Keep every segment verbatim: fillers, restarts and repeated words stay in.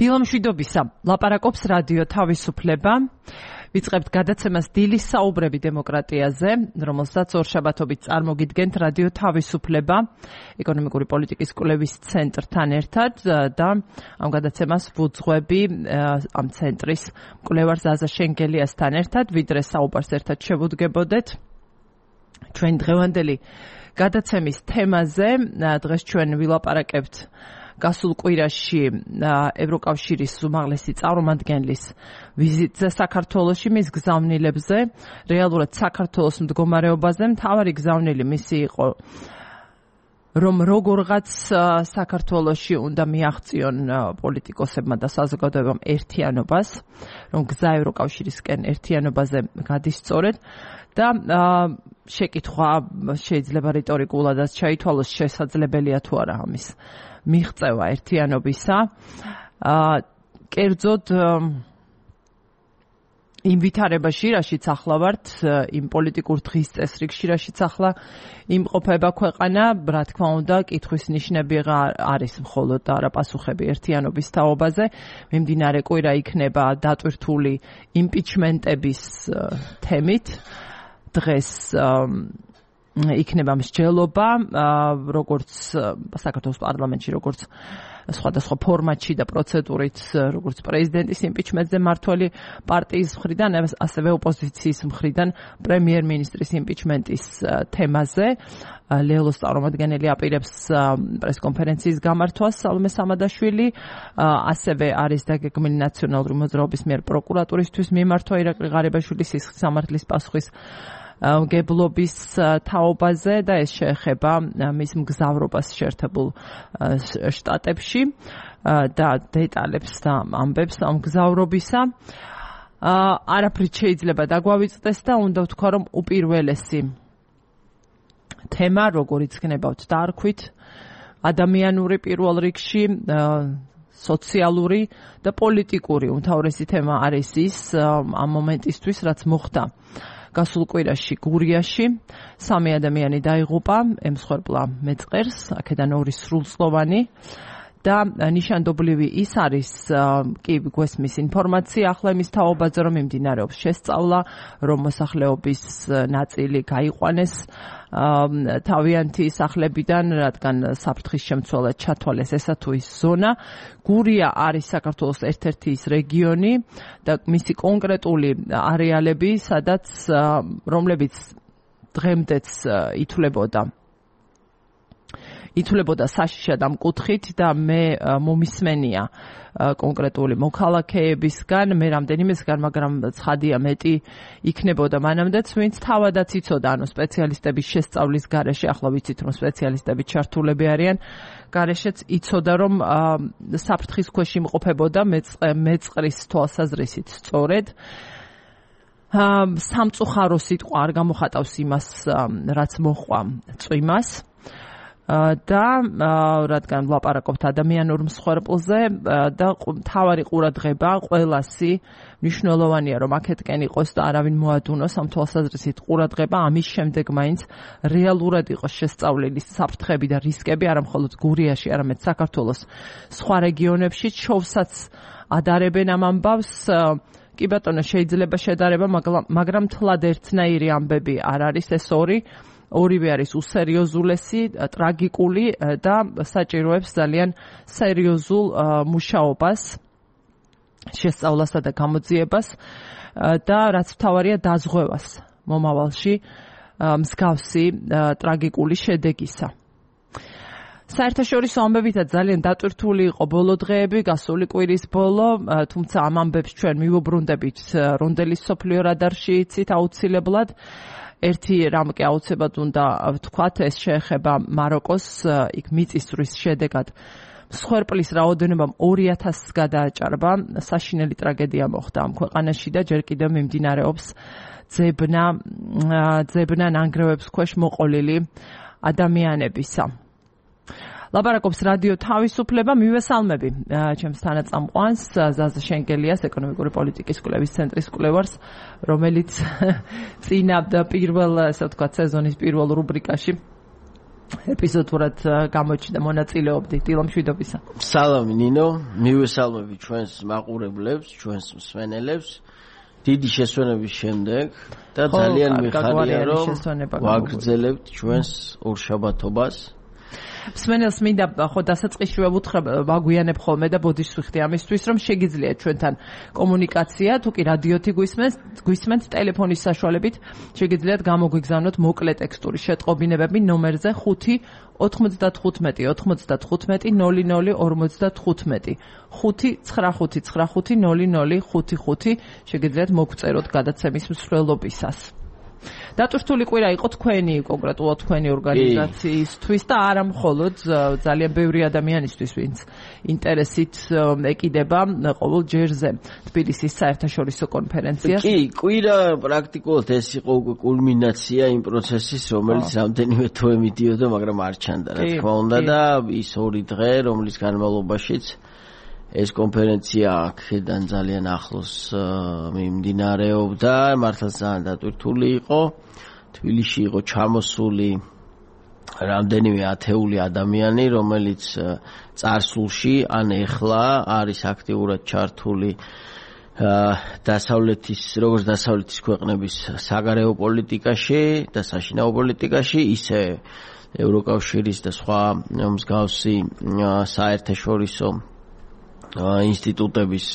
დილამშვიდობისა, ლაპარაკობს რადიო თავისუფლება. ვიწყებთ გადაცემას დილის საუბრები დემოკრატიაზე, რომელსაც ორშაბათობით წარმოგიდგენთ რადიო თავისუფლება, ეკონომიკური პოლიტიკის კვლევის ცენტრთან ერთად და ამ გადაცემას ვუძღვები ამ ცენტრის მკვლევარ ზაზა შენგელიასთან ერთად, ვიდრე საუბარს ერთად შევუდგებოდეთ. ჩვენ დღევანდელი გადაცემის თემაზე დღეს ჩვენ ვილაპარაკებთ გასულ კვირაში ევროკავშირის უმაღლესი წარმომადგენლის ვიზიტზე საქართველოში, მის გზავნილებზე, რეალურად საქართველოს მდგომარეობაზე. მთავარი გზავნილი მისი იყო, რომ როგორღაც საქართველოში უნდა მიაღწიონ პოლიტიკოსებმა და საზოგადოებამ ერთიანობას, რომ გზა ევროკავშირისკენ ერთიანობაზე გადისწორეთ და შეკითხვა შეიძლება რიტორიკულადაც ჩაითვალოს, შესაძლებელია თუ არა ამის მიღწევა ერთიანობისა. კერძოდ იმ ვითარებაში, რაშიც ახლა ვართ, იმ პოლიტიკურ დღის წესრიგში, რაშიც ახლა იმყოფება ქვეყანა, რა თქმა უნდა, კითხვის ნიშნები არის მხოლოდ და არა პასუხები ერთიანობის თაობაზე. მიმდინარე კვირა იქნება დატვირთული იმპიჩმენტების თემით. დღეს იქნება მსჯელობა, როგორც საქართველოს პარლამენტში, როგორც სხვადასხვა ფორმატში და პროცედურით, როგორც პრეზიდენტის იმპიჩმენტზე მმართველი პარტიის მხრიდან, ასევე ოპოზიციის მხრიდან პრემიერ-მინისტრის იმპიჩმენტის თემაზე. ლეოლოს წარმომადგენელი აპირებს პრესკონფერენციის გამართვას სალომე სამადაშვილი, ასევე არის დაგეგმილი ნაციონალური მოძრაობის მიერ პროკურატურისთვის მიმართვა ირაკლი ღარიბაშვილის სისხლის სამართლის პასუხის მგებლობის თაობაზე და ეს შეეხება მის მგზავრობას შეერთებულ შტატებში და დეტალებს და ამბებს ამ მგზავრობისა. არაფრით შეიძლება დაგვავიწყდეს და უნდა ვთქვა, რომ უპირველესი თემა, როგორიც გნებავთ დარქვით, ადამიანური პირველ რიგში, სოციალური და პოლიტიკური უმთავრესი თემა არის ის ამ მომენტისთვის, რაც მოხდა გასულ კვირაში გურიაში. სამი ადამიანი დაიღუპა, ემსხვერპლა მეწყერს, აქედან ორი სრულწლოვანი და ნიშანდობლივი ის არის, კი გვესმის ინფორმაცია ახლა იმის თაობაზე, რომ მიმდინარეობს შესწავლა, რომ მოსახლეობის ნაწილი გაიყვანეს თავიანთი სახლებიდან, რადგან საფრთხის შემცველად ჩათვალეს ესა თუ ის ზონა. გურია არის საქართველოს ერთ-ერთი ის რეგიონი და მისი კონკრეტული არეალები, სადაც რომლებიც დღემდეც ითვლებოდა ითვლებოდა საშიშად ამ კუთხით და მე მომისმენია კონკრეტული მოქალაქეებისგან, მე რამდენიმესგან, მაგრამ ცხადია მეტი იქნებოდა მანამდეც, ვინც თავადაც იცოდა, ანუ სპეციალისტების შესწავლის გარეშე, ახლა ვიცით, რომ სპეციალისტები ჩართულები არიან, გარეშეც იცოდა, რომ საფრთხის ქვეშ იმყოფებოდა მეწყრის თვალსაზრისით სწორედ. სამწუხარო სიტყვა არ გამოხატავს იმას, რაც მოჰყვა წვიმას. და რადგან ვლაპარაკობთ ადამიანურ მსხვერპლზე და მთავარი ყურადღება ყველასი მნიშვნელოვანია, რომ აქეთკენ იყოს და არავინ მოადუნოს ამ თვალსაზრისით ყურადღება, ამის შემდეგ მაინც რეალურად იყოს შესწავლილი საფრთხები და რისკები, არა მხოლოდ გურიაში, არამედ საქართველოს სხვა რეგიონებში. შოვსაც ადარებენ ამ ამბავს. კი ბატონო, შეიძლება შედარება, მაგრამ თლად ერთნაირი ამბები არ არის ეს ორი. ორივე არის უსერიოზულესი, ტრაგიკული და საჭიროებს ძალიან სერიოზულ მუშაობას, შესწავლასა და გამოძიებას და რაც მთავარია დაზღვევას მომავალში მსგავსი ტრაგიკული შედეგისა. საერთაშორისო ამბებითაც ძალიან დატვირთული იყო ბოლო დღეები, გასული კვირის ბოლო, თუმცა ამ ამბებს ჩვენ მივუბრუნდებით რონდელის მსოფლიო რადარში იცით აუცილებლად. ერთი რამ კი აუცილებლად უნდა ვთქვათ, ეს შეეხება მაროკოს, იქ მიწისძვრის შედეგად მსხვერპლის რაოდენობამ ორი ათასს გადააჭარბა, საშინელი ტრაგედია მოხდა ამ ქვეყანაში და ჯერ კიდევ მიმდინარეობს ძებნა ძებნა ნანგრევებს ქვეშ მოყოლილი ადამიანებისა. ლაპარაკობს რადიო თავისუფლება, მივესალმები ჩემს თანაწამყვანს ზაზა შენგელიას, ეკონომიკური პოლიტიკის კვლევის ცენტრის კვლევარს, რომელიც წინა პირველ, ასე ვთქვათ, სეზონის პირველ რუბრიკაში ეპიზოდურად გამოჩნდა მონაწილეობდი დილომშვიდობისა. სალამი ნინო, მივესალმები ჩვენს მაყურებლებს, ჩვენს მსმენელებს. დიდი შესვენების შემდეგ და ძალიან მიხარია რომ ვაგრძელებთ ჩვენს ორშაბათობას. მსმენელს მინდა ხო დასაწყისშივე ვუთხრა ვაგვიანებ ხოლმე და ბოდიშს ვიხდი ამისთვის რომ შეგიძლიათ ჩვენთან კომუნიკაცია თუ კი რადიოთი გვისმენთ გვისმენთ ტელეფონის საშუალებით შეგიძლიათ გამოგვიგზავნოთ მოკლე ტექსტური შეტყობინებები ნომერზე ხუთი ოთხმოცდათხუთმეტი ოთხმოცდათხუთმეტი ნოლი ნოლი ორმოცდათხუთმეტი ხუთი ცხრა ხუთი ცხრა ხუთი ნოლი ნოლი ხუთი ხუთი შეგიძლიათ მოგწეროთ გადაცემის მსვლელობისას. დატვირთული კვირა იყო თქვენი კონკრეტულად თქვენი ორგანიზაციისთვის და არა მხოლოდ ძალიან ბევრი ადამიანისთვის ვინც ინტერესით ეკიდება ყოველ ჯერზე თბილისის საერთაშორისო კონფერენციას. კი, კვირა პრაქტიკულად ეს იყო უკვე კულმინაცია იმ პროცესის, რომელიც რამდენიმე თვე მიდიოდა, მაგრამ არ ჩანდა, რა თქმა უნდა და ის ორი დღე, რომლის განმავლობაშიც ეს კონფერენცია აქედან ძალიან ახლოს მიმდინარეობდა, მართლაც ძალიან დატვირთული იყო. თბილისში იყო ჩამოსული რამდენიმე ათეული ადამიანი, რომელიც წარსულში ან ეხლა არის აქტიურად ჩართული დასავლეთის, როგორც დასავლეთის ქვეყნების საგარეო პოლიტიკაში და საშინაო პოლიტიკაში, ისე ევროკავშირის და სხვა მსგავსი საერთაშორისო ინსტიტუტების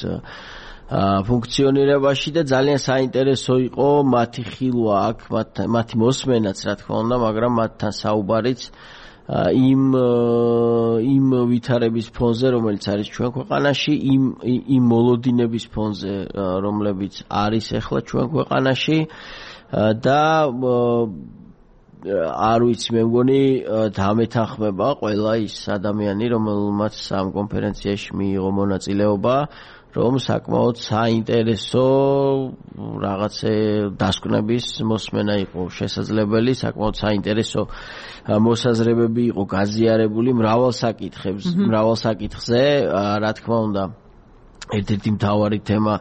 ფუნქციონირებაში და ძალიან საინტერესო იყო მათი ხილვა აქ, მათი მოსმენაც, რა თქმა უნდა, მაგრამ მათთან საუბარიც იმ იმ ვითარების ფონზე, რომელიც არის ჩვენ ქვეყანაში, იმ იმ მოლოდინების ფონზე, რომლებიც არის ახლა ჩვენ ქვეყანაში და არ ვიცი, მე მგონი დამეთანხმება ყველა ის ადამიანი, რომელმაც ამ კონფერენციაში მიიღო მონაწილეობა, რომ საკმაოდ საინტერესო რაღაცე დასკვნების მოსმენა იყო შესაძლებელი, საკმაოდ საინტერესო მოსაზრებები იყო გაზიარებული მრავალ საკითხებს, მრავალ საკითხზე, რა თქმა უნდა, ერთ-ერთი მთავარი თემა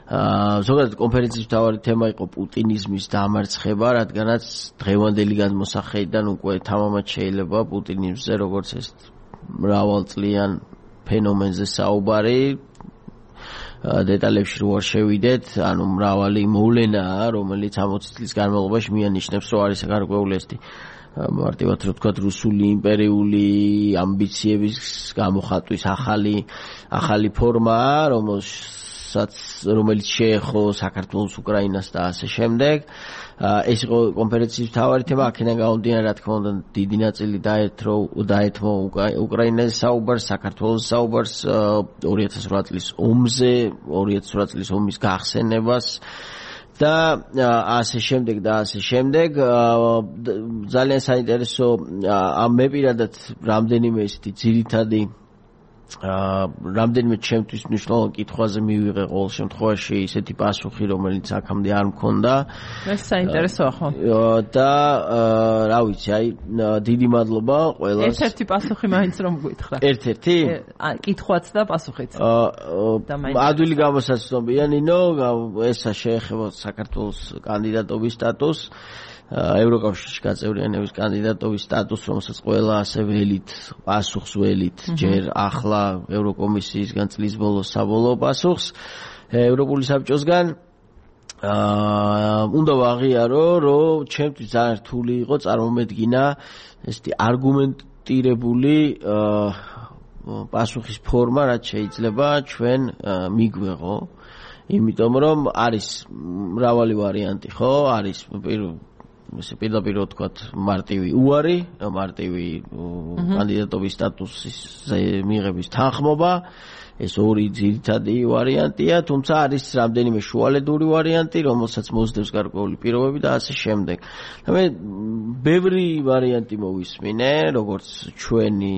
ზოგადად კონფერენციის მთავარი თემა იყო პუტინიზმის დამარცხება, რადგანაც დღევანდელი გადმოსახედიდან უკვე თამამად შეიძლება პუტინიზმზე როგორც ეს მრავალწლიან ფენომენზე საუბარი დეტალებში რო არ შევიდეთ, ანუ მრავალი მოვლენაა, რომელიც ოცი წლის განმავლობაში მიანიშნებს, რომ არის გარკვეული ესეთი მარტივად რო ვთქვათ რუსული იმპერიული ამბიციების გამოხატვის ახალი ახალი ფორმა, რომელსაც რომელიც შეეხო საქართველოს, უკრაინას და ასე შემდეგ. ეს იყო კონფერენციის მთავარი თემა, აქედან გამომდინარე, რა თქმა უნდა, დიდი ნაწილი დაეთრო დაეთმო უკრაინაზე საუბარს, საქართველოს საუბარს, ორი ათას ორი წლის ომზე, ორი ათას ორი წლის ომის გახსენებას და ასე შემდეგ და ასე შემდეგ. ძალიან საინტერესო, მე პირადად რამდენიმე ესეთი ძირითადი რამდენიმე ჩემთვის მნიშვნელოვან კითხვაზე მივიღე ყოველ შემთხვევაში ისეთი პასუხი, რომელიც აქამდე არ მქონდა. ეს საინტერესოა ხო? და რა ვიცი, აი დიდი მადლობა ყველას. ერთ-ერთი პასუხი მაინც რომ გითხრა. ერთ-ერთი? კითხვაც და პასუხიც. ადვილი გამოსაცნობია, ნინო, ესა შეეხება საქართველოს კანდიდატობის სტატუსს. ევროკავშირში გაწევრიანების კანდიდატობის სტატუსს, რომელსაც ყველა ასე ველით, პასუხს ველით, ჯერ ახლა ევროკომისიისგან წლის ბოლოს საბოლოო პასუხს ევროპული საბჭოსგან. უნდა ვაღიარო, რომ ჩემთვის ძალიან რთული იყო წარმომედგინა ესეთი არგუმენტირებული პასუხის ფორმა, რაც შეიძლება ჩვენ მიგვეღო, იმიტომ რომ არის მრავალი ვარიანტი, ხო? არის ესე პირდაპირ ვთქვათ მარტივი უარი, მარტივი კანდიდატობის სტატუსის მიღების თანხმობა, ეს ორი ძირითადი ვარიანტია, თუმცა არის რამდენიმე შუალედური ვარიანტი, რომელსაც მოსდევს გარკვეული პირობები და ასე შემდეგ. მე ბევრი ვარიანტი მოვისმინე, როგორც ჩვენი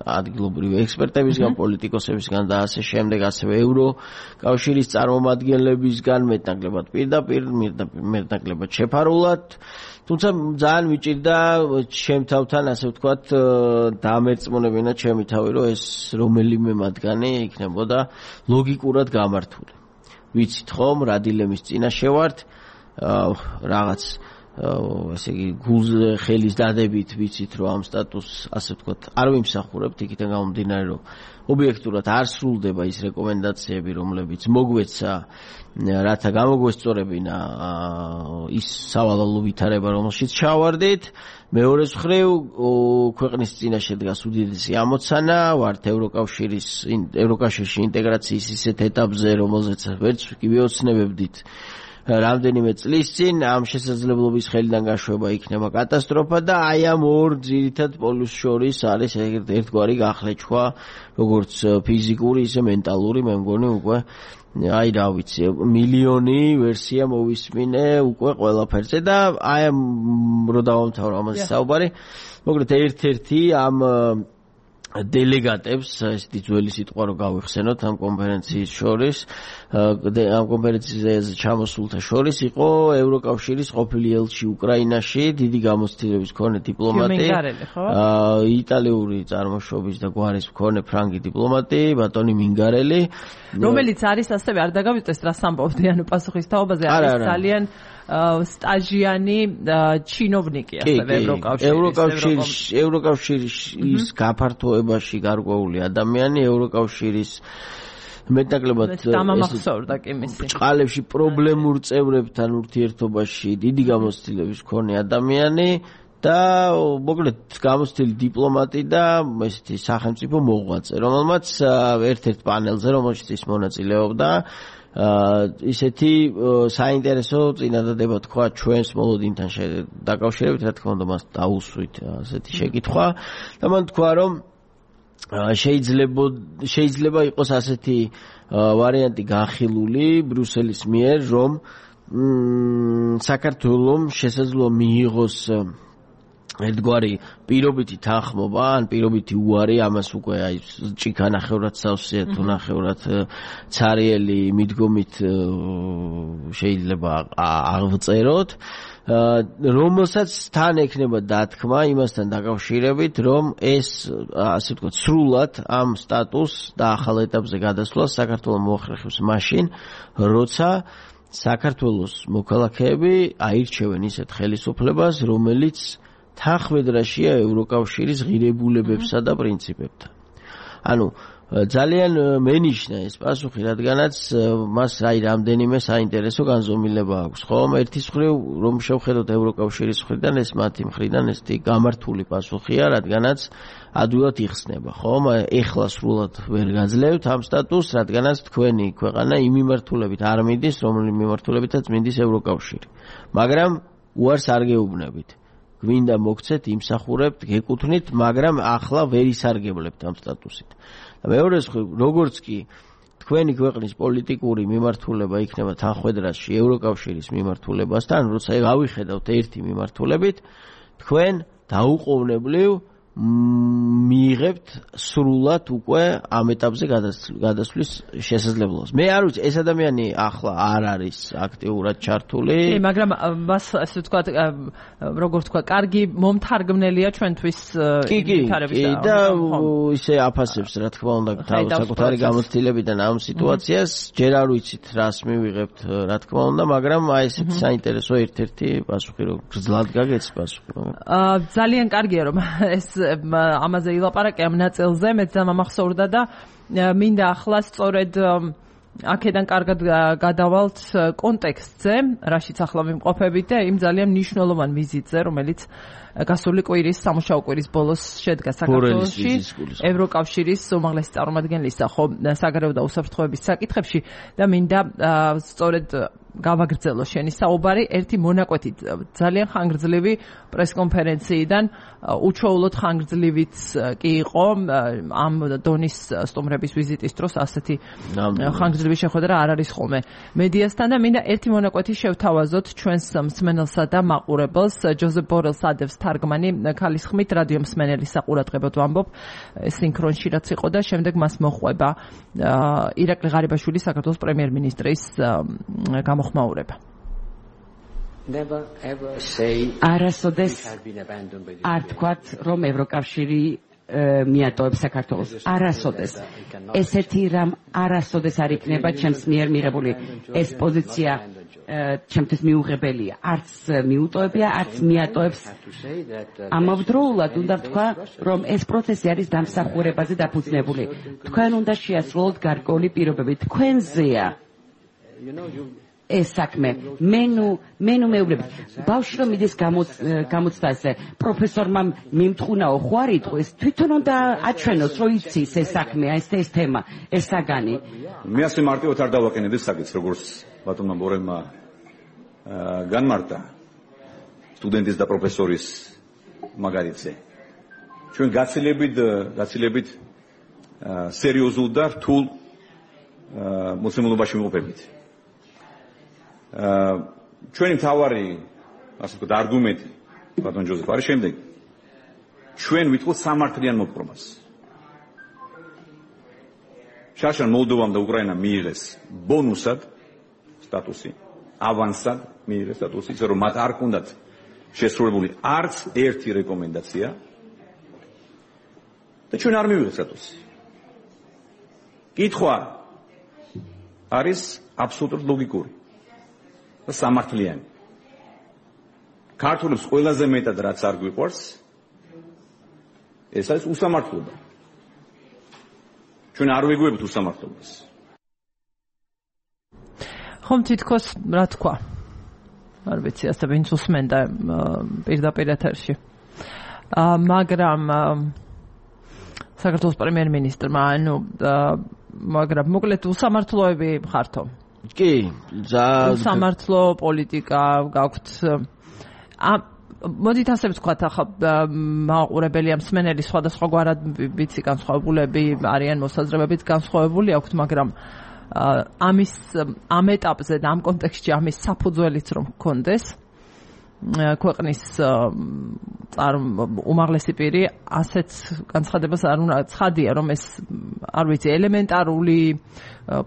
ადგილობრივი ექსპერტებისგან, პოლიტიკოსებისგან და ასე შემდეგ, ასევე ევროკავშირის წარმომადგენლებისგან, მეტნაკლებად პირდაპირ, მეტნაკლებად შეფარულად. თუმცა ძალიან მიჭირდა ჩემ თავთან, ასე ვთქვათ, დამერწმუნებინა ჩემი თავი, რომ ეს რომელიმე მათგანი იქნებოდა ლოგიკურად გამართული. ვიცით ხომ, რა დილემის წინაშე ვართ, რაღაც ესე იგი გულზე ხელის დადებით ვიცით რომ ამ სტატუსს ასე ვთქვათ არ ვიმსახურებთ იქიდან გამომდინარე რომ ობიექტურად არ სრულდება ის რეკომენდაციები რომლებიც მოგვეცა რათა გამოგვესწორებინა ის სავალალო ვითარება რომელშიც ჩავარდით მეორე მხრივ ქვეყნის წინაშე დგას უდიდესი ამოცანა ვართ ევროკავშირის ევროკავშირში ინტეგრაციის ისეთ ეტაპზე რომელზეც ვერც კი ვიოცნებებდით რამდენიმე წლის წინ ამ შესაძლებლობის ხელიდან გაშვება იქნება კატასტროფა და აი ამ ორ ძირითად პოლუსს შორის არის ერთგვარი გახლეჩვა როგორც ფიზიკური ისე მენტალური მე მგონი უკვე აი რა ვიცი მილიონი ვერსია მოვისმინე უკვე ყველაფერზე და აი ამ რო დავამთავრო ამაზე საუბარი მოკლედ ერთ-ერთი ამ დელეგატებს ესეთი ძველი სიტყვა რო გავიხსენოთ ამ კონფერენციის შორის ამ კონფერენციაზე ჩამოსულთა შორის იყო ევროკავშირის ყოფილი ელჩი უკრაინაში დიდი გამოცდილების მქონე დიპლომატი იტალიური წარმოშობის და გვარის მქონე ფრანგი დიპლომატი ბატონი მინგარელი რომელიც არის ასევე არ დაგავიწყდეს რას ამბობდი ანუ პასუხის თაობაზე არის ძალიან სტაჟიანი ჩინოვნიკი ასევე ევროკავშირის ევროკავშირის გაფართოებაში გარკვეული ადამიანი ევროკავშირის მეტნაკლებად დამამახსოვრდა კი მისი ბჭყალებში პრობლემურ წევრებთან ურთიერთობაში დიდი გამოცდილების მქონე ადამიანი და მოკლედ გამოცდილი დიპლომატი და ესეთი სახელმწიფო მოღვაწე რომელმაც ერთ-ერთ პანელზე რომელშიც ის მონაწილეობდა ისეთი საინტერესო წინადადება თქვა ჩვენს მოლოდინთან დაკავშირებით რა თქმა უნდა მას დაუსვით ასეთი შეკითხვა და მან თქვა რომ შეიძლება შეიძლება იყოს ასეთი ვარიანტი განხილული ბრიუსელის მიერ რომ საქართველოს შესაძლოა მიიღოს ერთგვარი პირობითი თანხმობა ან პირობითი უარი ამას უკვე აი ჭიქანახევრად სავსეა თუ ნახევრად ცარიელი მიდგომით შეიძლება აღწეროთ რომელსაც თან ექნება დათქმა იმასთან დაკავშირებით რომ ეს ასე ვთქვათ სრულად ამ სტატუსს და ახალ ეტაპზე გადასვლას საქართველოს მოახერხებს მაშინ როცა საქართველოს მოქალაქეები აირჩევენ ისეთ ხელისუფლებას რომელიც თანხმედრაშია ევროკავშირის ღირებულებებსა და პრინციპებთან. ანუ ძალიან მენიშნა ეს პასუხი, რადგანაც მას აი რამდენიმე საინტერესო განზომილება აქვს. ხომ ერთის მხრივ რომ შევხედოთ ევროკავშირის მხრიდან ეს მათი მხრიდან ესეთი გამართული პასუხია, რადგანაც ადვილად იხსნება, ხომ? ეხლა სრულად ვერ გაძლევთ ამ სტატუსს, რადგანაც თქვენი ქვეყანა იმ მიმართულებით არ მიდის, რომელი მიმართულებითაც მიდის ევროკავშირი. მაგრამ უარს არ გეუბნებით. გვინდა მოგცეთ, იმსახურებთ, გეკუთვნით, მაგრამ ახლა ვერ ისარგებლებთ ამ სტატუსით. და მეორე მხრივ, როგორც კი თქვენი ქვეყნის პოლიტიკური მიმართულება იქნება თანხმედრაში ევროკავშირის მიმართულებასთან, როცა გავიხედავთ ერთი მიმართულებით, თქვენ დაუყოვნებლივ მიიღებთ სრულად უკვე ამ ეტაპზე გადასვლის შესაძლებლობას. მე არ ვიცი, ეს ადამიანი ახლა არ არის აქტიურად ჩართული. კი, მაგრამ მას ასე ვთქვათ, როგორ ვთქვა, კარგი მომთარგმნელია ჩვენთვის ვითარების და ისე აფასებს, რა თქმა უნდა, საკუთარი გამოცდილებიდან ამ სიტუაციას. ჯერ არ ვიცით, რას მივიღებთ, რა თქმა უნდა, მაგრამ აი ესეთი საინტერესო ერთ-ერთი პასუხი, რომ გძლად გაგეც პასუხი. ძალიან კარგია, რომ ეს ამაზე ილაპარაკე ამ ნაწილზე, მეც დამამახსოვრდა და მინდა ახლა სწორედ აქედან კარგად გადავალთ კონტექსტზე, რაშიც ახლა ვიმყოფებით და იმ ძალიან მნიშვნელოვან ვიზიტზე, რომელიც გასული კვირის სამუშაო კვირის ბოლოს შედგა საქართველოში ევროკავშირის უმაღლესი წარმომადგენლისა ხო საგარეო და უსაფრთხოების საკითხებში და მინდა სწორედ გავაგრძელო შენი საუბარი ერთი მონაკვეთი ძალიან ხანგრძლივი პრესკონფერენციიდან უჩვეულოდ ხანგრძლივიც კი იყო ამ დონის სტუმრების ვიზიტის დროს ასეთი ხანგრძლივი შეხვედრა არ არის ხოლმე მედიასთან და მინდა ერთი მონაკვეთი შევთავაზოთ ჩვენს მსმენელსა და მაყურებელს ჯოზეფ ბორელს ადევს თარგმანი ქალის ხმით რადიო მსმენელის საყურადღებოდ ვამბობ სინქრონში რაც იყო და შემდეგ მას მოხვება ირაკლი ღარიბაშვილი საქართველოს პრემიერ-მინისტრის გამოხმაურება არასოდეს არ თქვათ რომ ევროკავშირი მიატოვებს საქართველოს არასოდეს ესეთი რამ არასოდეს არ იქნება ჩემს მიერ მიღებული ეს პოზიცია ჩემთვის მიუღებელია. არც მიუტოვებია, არც მიატოვებს. ამავდროულად უნდა ვთქვა, რომ ეს პროცესი არის დამსახურებაზე დაფუძნებული. თქვენ უნდა შეასრულოთ გარკვეული პირობები. თქვენზეა ეს საქმე. მე ნუ მე ნუ მეუბნებით. ბავშვი რომ მიდის გამოცდაზე, პროფესორმა მიმთხუნაო ხო არ იტყვის, თვითონ უნდა აჩვენოს, რომ იცის ეს საქმე, ეს ეს თემა, ეს საგანი. მე ასე მარტივად არ დავაკენებ ეს საკითხს, როგორც ბატონმა ბორელმა განმარტა სტუდენტის და პროფესორის მაგალითზე. ჩვენ გაცილებით გაცილებით სერიოზულ და რთულ მოცემულობაში ვიმყოფებით. ჩვენი მთავარი ასე ვთქვათ არგუმენტი ბატონ ჯოზეფ არის შემდეგი. ჩვენ ვითხოვთ სამართლიან მოპყრობას. შარშან მოლდოვამ და უკრაინამ მიიღეს ბონუსად სტატუსი, ავანსად მიიღეს სტატუსი, ისე რომ მათ არ ჰქონდათ შესრულებული არც ერთი რეკომენდაცია და ჩვენ არ მივიღეთ სტატუსი. კითხვა არის აბსოლუტურად ლოგიკური და სამართლიანი. ქართულებს ყველაზე მეტად რაც არ გვიყვარს, ეს არის უსამართლობა. ჩვენ არ ვეგუებთ უსამართლობას. ხომ თითქოს რა თქვა? არ ვიცი, ასე ვინც უსმენდა პირდაპირ ეთერში. მაგრამ საქართველოს პრემიერ-მინისტრმა, ანუ მაგრამ მოკლედ უსამართლოები ხართო. კი, სამართლო პოლიტიკა გაქვთ. მოდით ასე ვთქვათ, ახლა მაყურებელი ამ მსმენელი სხვადასხვაგვარად ვიცი განსხვავებულები არიან, მოსაზრებებით განსხვავებული აქვთ, მაგრამ ამის ამ ეტაპზე და ამ კონტექსტში ამის საფუძველიც რომ გქონდეს ქვეყნის უმაღლესი პირი ასეთ განცხადებას არ უნდა ცხადია, რომ ეს არ ვიცი ელემენტარული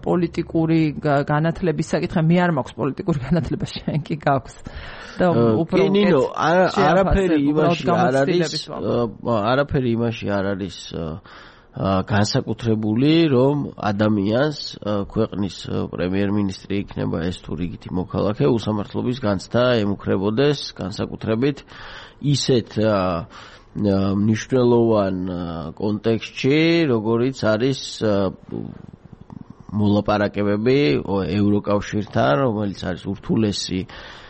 პოლიტიკური განათლების საკითხი. მე არ მაქვს პოლიტიკური განათლება, შენ კი გაქვს. და უფრო ნინო, არაფერი იმაში არ არის, არაფერი იმაში არ არის განსაკუთრებული, რომ ადამიანს ქვეყნის პრემიერ-მინისტრი იქნება ეს თუ რიგითი მოქალაქე უსამართლობის განცდა ემუქრებოდეს, განსაკუთრებით ისეთ მნიშვნელოვან კონტექსტში, როგორიც არის მოლაპარაკებები ევროკავშირთან, რომელიც არის ურთულესი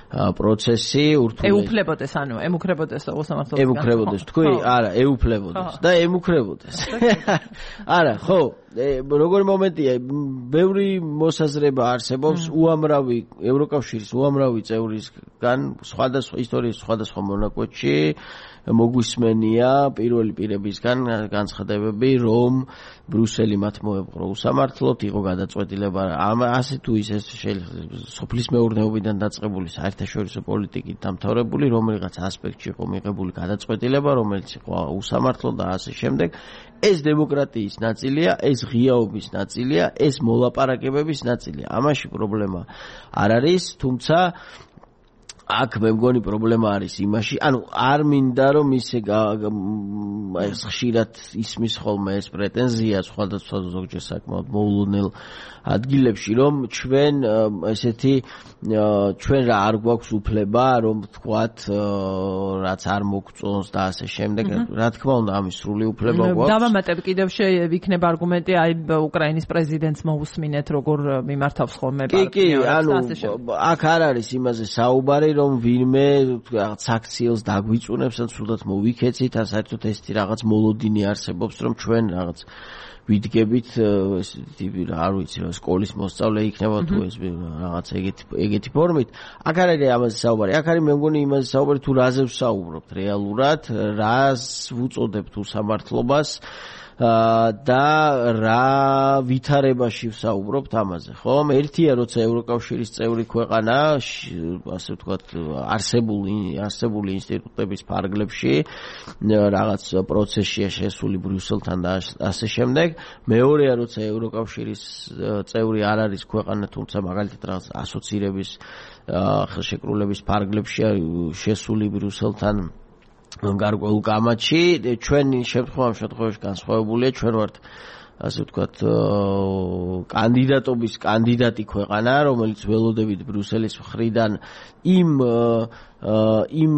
პროცესი, ურთულესი ეუფლებოდეს, ანუ ემუქრებოდეს უსამართლობის განცდა. ემუქრებოდეს, თქვი, არა, ეუფლებოდეს და ემუქრებოდეს. არა, ხო, როგორი მომენტია, ბევრი მოსაზრება არსებობს უამრავი ევროკავშირის უამრავი წევრისგან სხვადასხვა ისტორიის სხვადასხვა მონაკვეთში მოგვისმენია პირველი პირებისგან განცხადებები, რომ ბრიუსელი მათ მოეპყრო უსამართლოდ, იყო გადაწყვეტილება ასე თუ ისე სოფლის მეურნეობიდან დაწყებული საერთაშორისო პოლიტიკით დამთავრებული, რომელიღაც ასპექტში იყო მიღებული გადაწყვეტილება, რომელიც იყო უსამართლო და ასე შემდეგ. ეს დემოკრატიის ნაწილია, ეს ღიაობის ნაწილია, ეს მოლაპარაკებების ნაწილია. ამაში პრობლემა არ არის, თუმცა აქ მე მგონი პრობლემა არის იმაში, ანუ არ მინდა რომ ისე ეს ხშირად ისმის ხოლმე ეს პრეტენზია სხვადასხვა ზოგჯერ საკმაოდ მოულოდნელ ადგილებში, რომ ჩვენ ესეთი ჩვენ რა არ გვაქვს უფლება, რომ ვთქვათ, რაც არ მოგწონს და ასე შემდეგ. რა თქმა უნდა, ამის სრული უფლება გვაქვს. დავამატებ კიდევ შეიქნება არგუმენტი, აი უკრაინის პრეზიდენტს მოусმინეთ, როგორ მიმართავს ხოლმე პარტიას. კი, კი, ანუ აქ არ არის იმაზე საუბარი, რომ ვინმე რაღაც აქციელს დაგვიწუნებს ან სულაც მოვიქეცით, ან საერთოდ ესეთი რაღაც მოლოდინი არსებობს, რომ ჩვენ რაღაც ვიდგებით ესეთი არ ვიცი რა სკოლის მოსწავლე იქნება თუ ეს რაღაც ეგეთი ეგეთი ფორმით. აქ არ არის ამაზე საუბარი. აქ არის მე მგონი იმაზე საუბარი, თუ რაზე ვსაუბრობთ რეალურად, რას ვუწოდებთ უსამართლობას და რა ვითარებაში ვსაუბრობთ ამაზე, ხო? ერთია, როცა ევროკავშირის წევრი ქვეყანა, ასე ვთქვათ, არსებული არსებული ინსტიტუტების ფარგლებში რაღაც პროცესშია შესული ბრიუსელთან და ასე შემდეგ. მეორეა, როცა ევროკავშირის წევრი არ არის ქვეყანა, თუმცა მაგალითად რაღაც ასოცირების ხელშეკრულების ფარგლებშია შესული ბრიუსელთან გარკვეულ კამათში. ჩვენი შემთხვევა ამ შემთხვევაში განსხვავებულია, ჩვენ ვართ ასე ვთქვათ, კანდიდატობის კანდიდატი ქვეყანა, რომელიც ველოდებით ბრიუსელის მხრიდან იმ იმ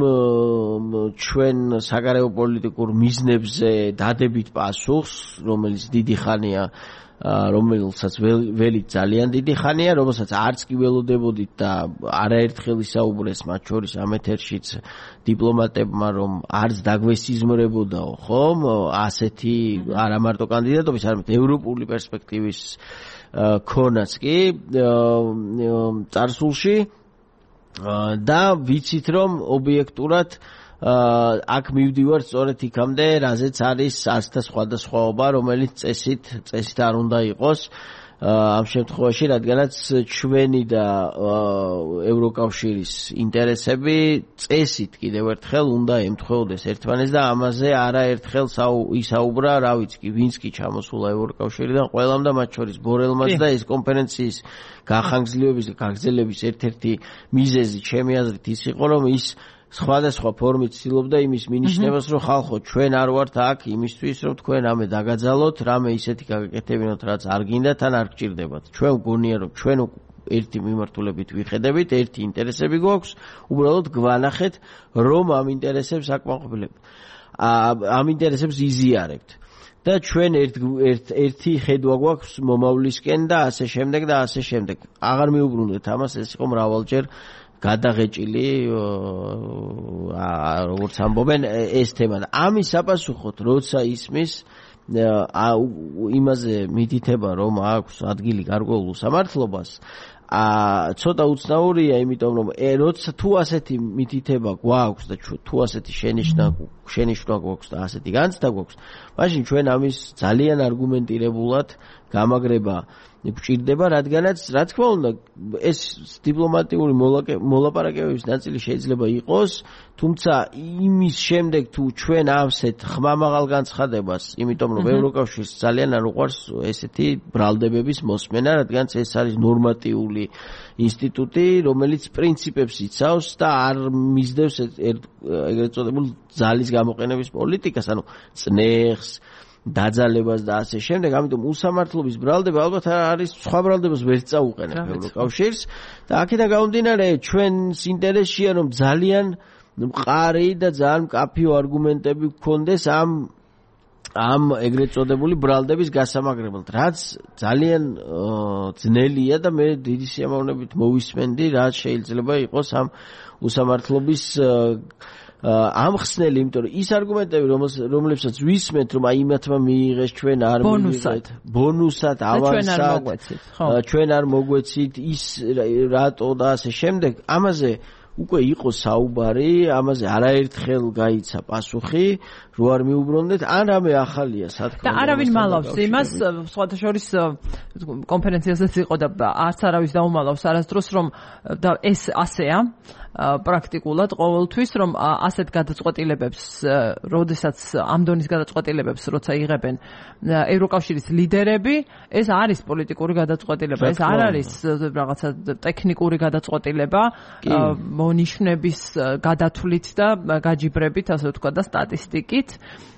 ჩვენ საგარეო პოლიტიკურ მიზნებზე დადებით პასუხს, რომელიც დიდი ხანია რომელსაც ველი ძალიან დიდი ხანია, რომელსაც არც კი ველოდებოდით და არაერთხელ ისაუბრეს მათ შორის ამ ეთერშიც დიპლომატებმა, რომ არც დაგვესიზმრებოდაო, ხომ? ასეთი არა მარტო კანდიდატობის, არამედ ევროპული პერსპექტივის ქონაც კი წარსულში და ვიცით, რომ ობიექტურად აქ მივდივარ სწორედ იქამდე, რაზეც არის ასთა სხვადასხვაობა, რომელიც წესით წესით არ უნდა იყოს ამ შემთხვევაში, რადგანაც ჩვენი და ევროკავშირის ინტერესები წესით კიდევ ერთხელ უნდა ემთხვეოდეს ერთმანეთს და ამაზე არაერთხელ ისაუბრა, რა ვიცი, ვინც კი ჩამოსულა ევროკავშირიდან, ყველამ და მათ შორის ბორელმაც და ეს კონფერენციის გახანგრძლივების და გაგრძელების ერთ-ერთი მიზეზი ჩემი აზრით ის იყო, რომ ის სხვადასხვა ფორმით ცდილობდა იმის მინიშნებას, რომ ხალხო, ჩვენ არ ვართ აქ იმისთვის, რომ თქვენ ამე დაგაძალოთ, რამე ისეთი გაგაკეთებინოთ, რაც არ გინდათ, ან არ გჭირდებათ. ჩვენ გონია, რომ ჩვენ ერთი მიმართულებით ვიხედებით, ერთი ინტერესები გვაქვს, უბრალოდ გვანახეთ, რომ ამ ინტერესებს აკმაყოფილებთ. ამ ინტერესებს იზიარებთ. და ჩვენ ერთ ერთი ხედვა გვაქვს მომავლისკენ და ასე შემდეგ და ასე შემდეგ. აღარ მიუბრუნდეთ ამას, ეს იყო მრავალჯერ გადაღეჭილი, როგორც ამბობენ, ეს თემა. ამის საპასუხოდ, როცა ისმის იმაზე მითითება, რომ აქვს ადგილი გარკვეულ უსამართლობას, ცოტა უცნაურია, იმიტომ რომ როცა თუ ასეთი მითითება გვაქვს და თუ ასეთი შენიშვნა შენიშვნა გვაქვს და ასეთი განცდა გვაქვს, მაშინ ჩვენ ამის ძალიან არგუმენტირებულად გამაგრება გვჭირდება, რადგანაც რა თქმა უნდა ეს დიპლომატიური მოლაპარაკებების ნაწილი შეიძლება იყოს, თუმცა იმის შემდეგ თუ ჩვენ ამსეთ ხმამაღალ განცხადებას, იმიტომ რომ ევროკავშირს ძალიან არ უყვარს ესეთი ბრალდებების მოსმენა, რადგანაც ეს არის ნორმატიული ინსტიტუტი, რომელიც პრინციპებს იცავს და არ მისდევს ეგრეთ წოდებულ ძალის გამოყენების პოლიტიკას, ანუ წნეხს დაძალებას და ასე შემდეგ, ამიტომ უსამართლობის ბრალდება ალბათ არის სხვა ბრალდებას ვერ წაუყენებ ევროკავშირს და აქედან გამომდინარე ჩვენს ინტერესშია, რომ ძალიან მყარი და ძალიან მკაფიო არგუმენტები გქონდეს ამ ამ ეგრეთ წოდებული ბრალდების გასამაგრებლად, რაც ძალიან ძნელია და მე დიდი სიამოვნებით მოვისმენდი, რაც შეიძლება იყოს ამ უსამართლობის ამხსნელი, იმიტომ რომ ის არგუმენტები, რომლებსაც ვისმენთ, რომ აი იმათმა მიიღეს, ჩვენ არ მივიღეთ, ბონუსად, ავანსად, ჩვენ არ მოგვეცით, ის რატო და ასე შემდეგ, ამაზე უკვე იყო საუბარი, ამაზე არაერთხელ გაიცა პასუხი, რო არ მიუბრუნდეთ, ან რამე ახალია სათქმელი. და არავინ მალავს იმას, სხვათა შორის კონფერენციაზეც იყო და არც არავის დაუმალავს არასდროს, რომ და ეს ასეა პრაქტიკულად ყოველთვის, რომ ასეთ გადაწყვეტილებებს, როდესაც ამ დონის გადაწყვეტილებებს როცა იღებენ ევროკავშირის ლიდერები, ეს არის პოლიტიკური გადაწყვეტილება, ეს არ არის რაღაცა ტექნიკური გადაწყვეტილება, მონიშნების გადათვლით და გაჯიბრებით, ასე ვთქვათ, და სტატისტიკით.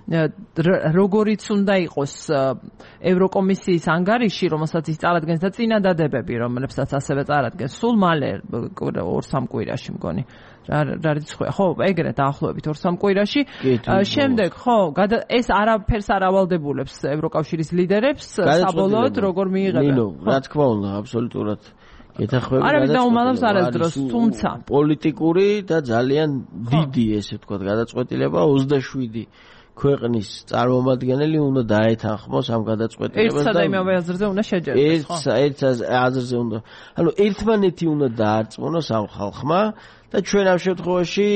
როგორიც უნდა იყოს ევროკომისიის ანგარიში, რომელსაც ის წარადგენს და წინადადებები, რომლებსაც ასევე წარადგენს სულ მალე ორ სამ კვირაში მგონი. რა რიცხვია? ხო, ეგრე დაახლოებით ორ სამ კვირაში. შემდეგ, ხო, ეს არაფერს არ ავალდებულებს ევროკავშირის ლიდერებს, საბოლოოდ როგორ მიიღებენ. ნინო, რა თქმა უნდა, აბსოლუტურად გეთახვები. არავის დაუმალავს არასდროს, თუმცა პოლიტიკური და ძალიან დიდი, ესე ვთქვათ, გადაწყვეტილება ოცდაშვიდი ქვეყნის წარმომადგენელი უნდა დაეთანხმოს ამ გადაწყვეტილებას და ერთსა და იმავე აზრზე უნდა შეჯერდეს, ხო? ერთ აზრზე უნდა. ანუ ერთმანეთი უნდა დაარწმუნოს ამ ხალხმა და ჩვენ ამ შემთხვევაში,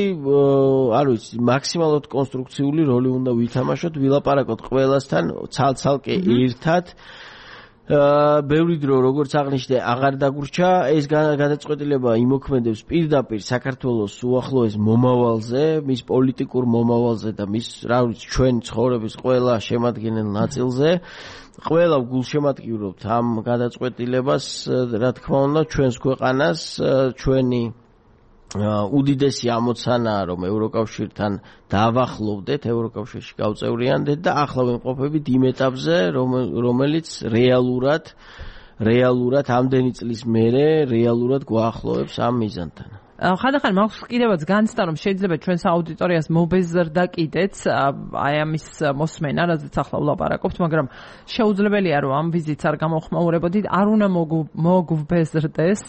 არ ვიცი, მაქსიმალურად კონსტრუქციული როლი უნდა ვითამაშოთ, ვილაპარაკოთ ყველასთან ცალ-ცალკე ერთად. ბევრი დრო, როგორც აღნიშნე, აღარ დაგვრჩა, ეს გადაწყვეტილება იმოქმედებს პირდაპირ საქართველოს უახლოეს მომავალზე, მის პოლიტიკურ მომავალზე და მის, რა ვიცი, ჩვენ ცხოვრების ყველა შემადგენელ ნაწილზე. ყველა გულშემატკივრობთ ამ გადაწყვეტილებას, რა თქმა უნდა, ჩვენს ქვეყანას, ჩვენი უდიდესი ამოცანაა რომ ევროკავშირთან დავახლოვდეთ, ევროკავშირში გავწევრიანდეთ და ახლა ვიმყოფებით იმ ეტაპზე, რომელიც რეალურად რეალურად ამდენი წლის მერე რეალურად გვაახლოვებს ამ მიზანთან. ხანდახან მაქვს კიდევაც განცდა რომ შეიძლება ჩვენს აუდიტორიას მობეზრდა კიდეც აი ამის მოსმენა, რაზეც ახლა ვლაპარაკობთ, მაგრამ შეუძლებელია რომ ამ ვიზიტს არ გამოხმაურებოდით, არ უნდა მოგვბეზრდეს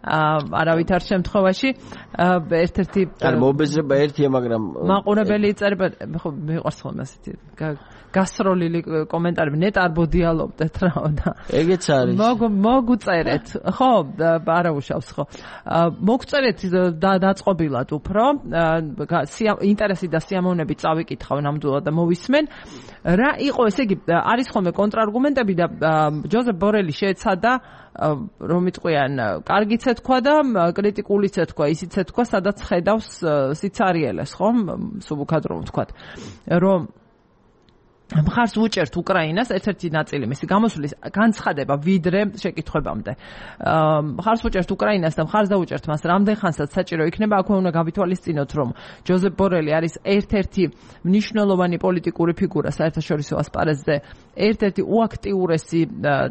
არავით არ შემთხვევაში ერთ-ერთი არ მობეზრება ერთია, მაგრამ მაყურებელი იწერება, ხო მიყვარს ხოლმე ასეთი გასროლილი კომენტარები, ნეტ არ ბოდიალობდეთ რა და ეგეც არის. მოგუწერეთ, ხო, არა უშავს, ხო. მოგწერეთ დაწყობილად უფრო, ინტერესი და სიამოვნებით წავიკითხავ ნამდვილად და მოვისმენ. რა იყო, ესე იგი, არის ხოლმე კონტრარგუმენტები და ჯოზეფ ბორელი შეეცადა რომ იტყვიან, კარგიც ეთქვა და კრიტიკულიც ეთქვა, ისიც ეთქვა, სადაც ხედავს სიცარიელეს, ხო? სუბუქად რომ ვთქვათ, რომ მხარს უჭერთ უკრაინას, ერთ-ერთი ნაწილი მისი გამოსვლის განცხადება ვიდრე შეკითხვებამდე. მხარს უჭერთ უკრაინას და მხარს დაუჭერთ მას რამდენ ხანსაც საჭირო იქნება, აქვე უნდა გავითვალისწინოთ, რომ ჯოზეფ ბორელი არის ერთ-ერთი მნიშვნელოვანი პოლიტიკური ფიგურა საერთაშორისო ასპარეზზე, ერთ-ერთი უაქტიურესი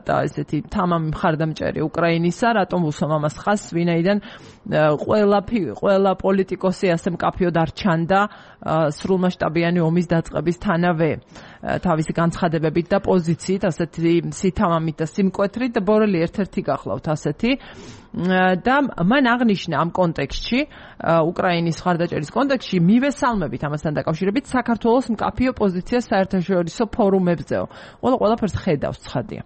და ესეთი თამამი მხარდამჭერი უკრაინისა, რატომ უსვამ ამას ხაზს, ვინაიდან ყველა ყველა პოლიტიკოსი ასე მკაფიოდ არ ჩანდა სრულმასშტაბიანი ომის დაწყებისთანავე. თავისი განცხადებებით და პოზიციით, ასეთი სითამამით და სიმკვეთრით და ბორელი ერთ-ერთი გახლავთ ასეთი და მან აღნიშნა ამ კონტექსტში, უკრაინის მხარდაჭერის კონტექსტში, მივესალმებით ამასთან დაკავშირებით საქართველოს მკაფიო პოზიციას საერთაშორისო ფორუმებზეო. ყველა ყველაფერს ხედავს, ცხადია.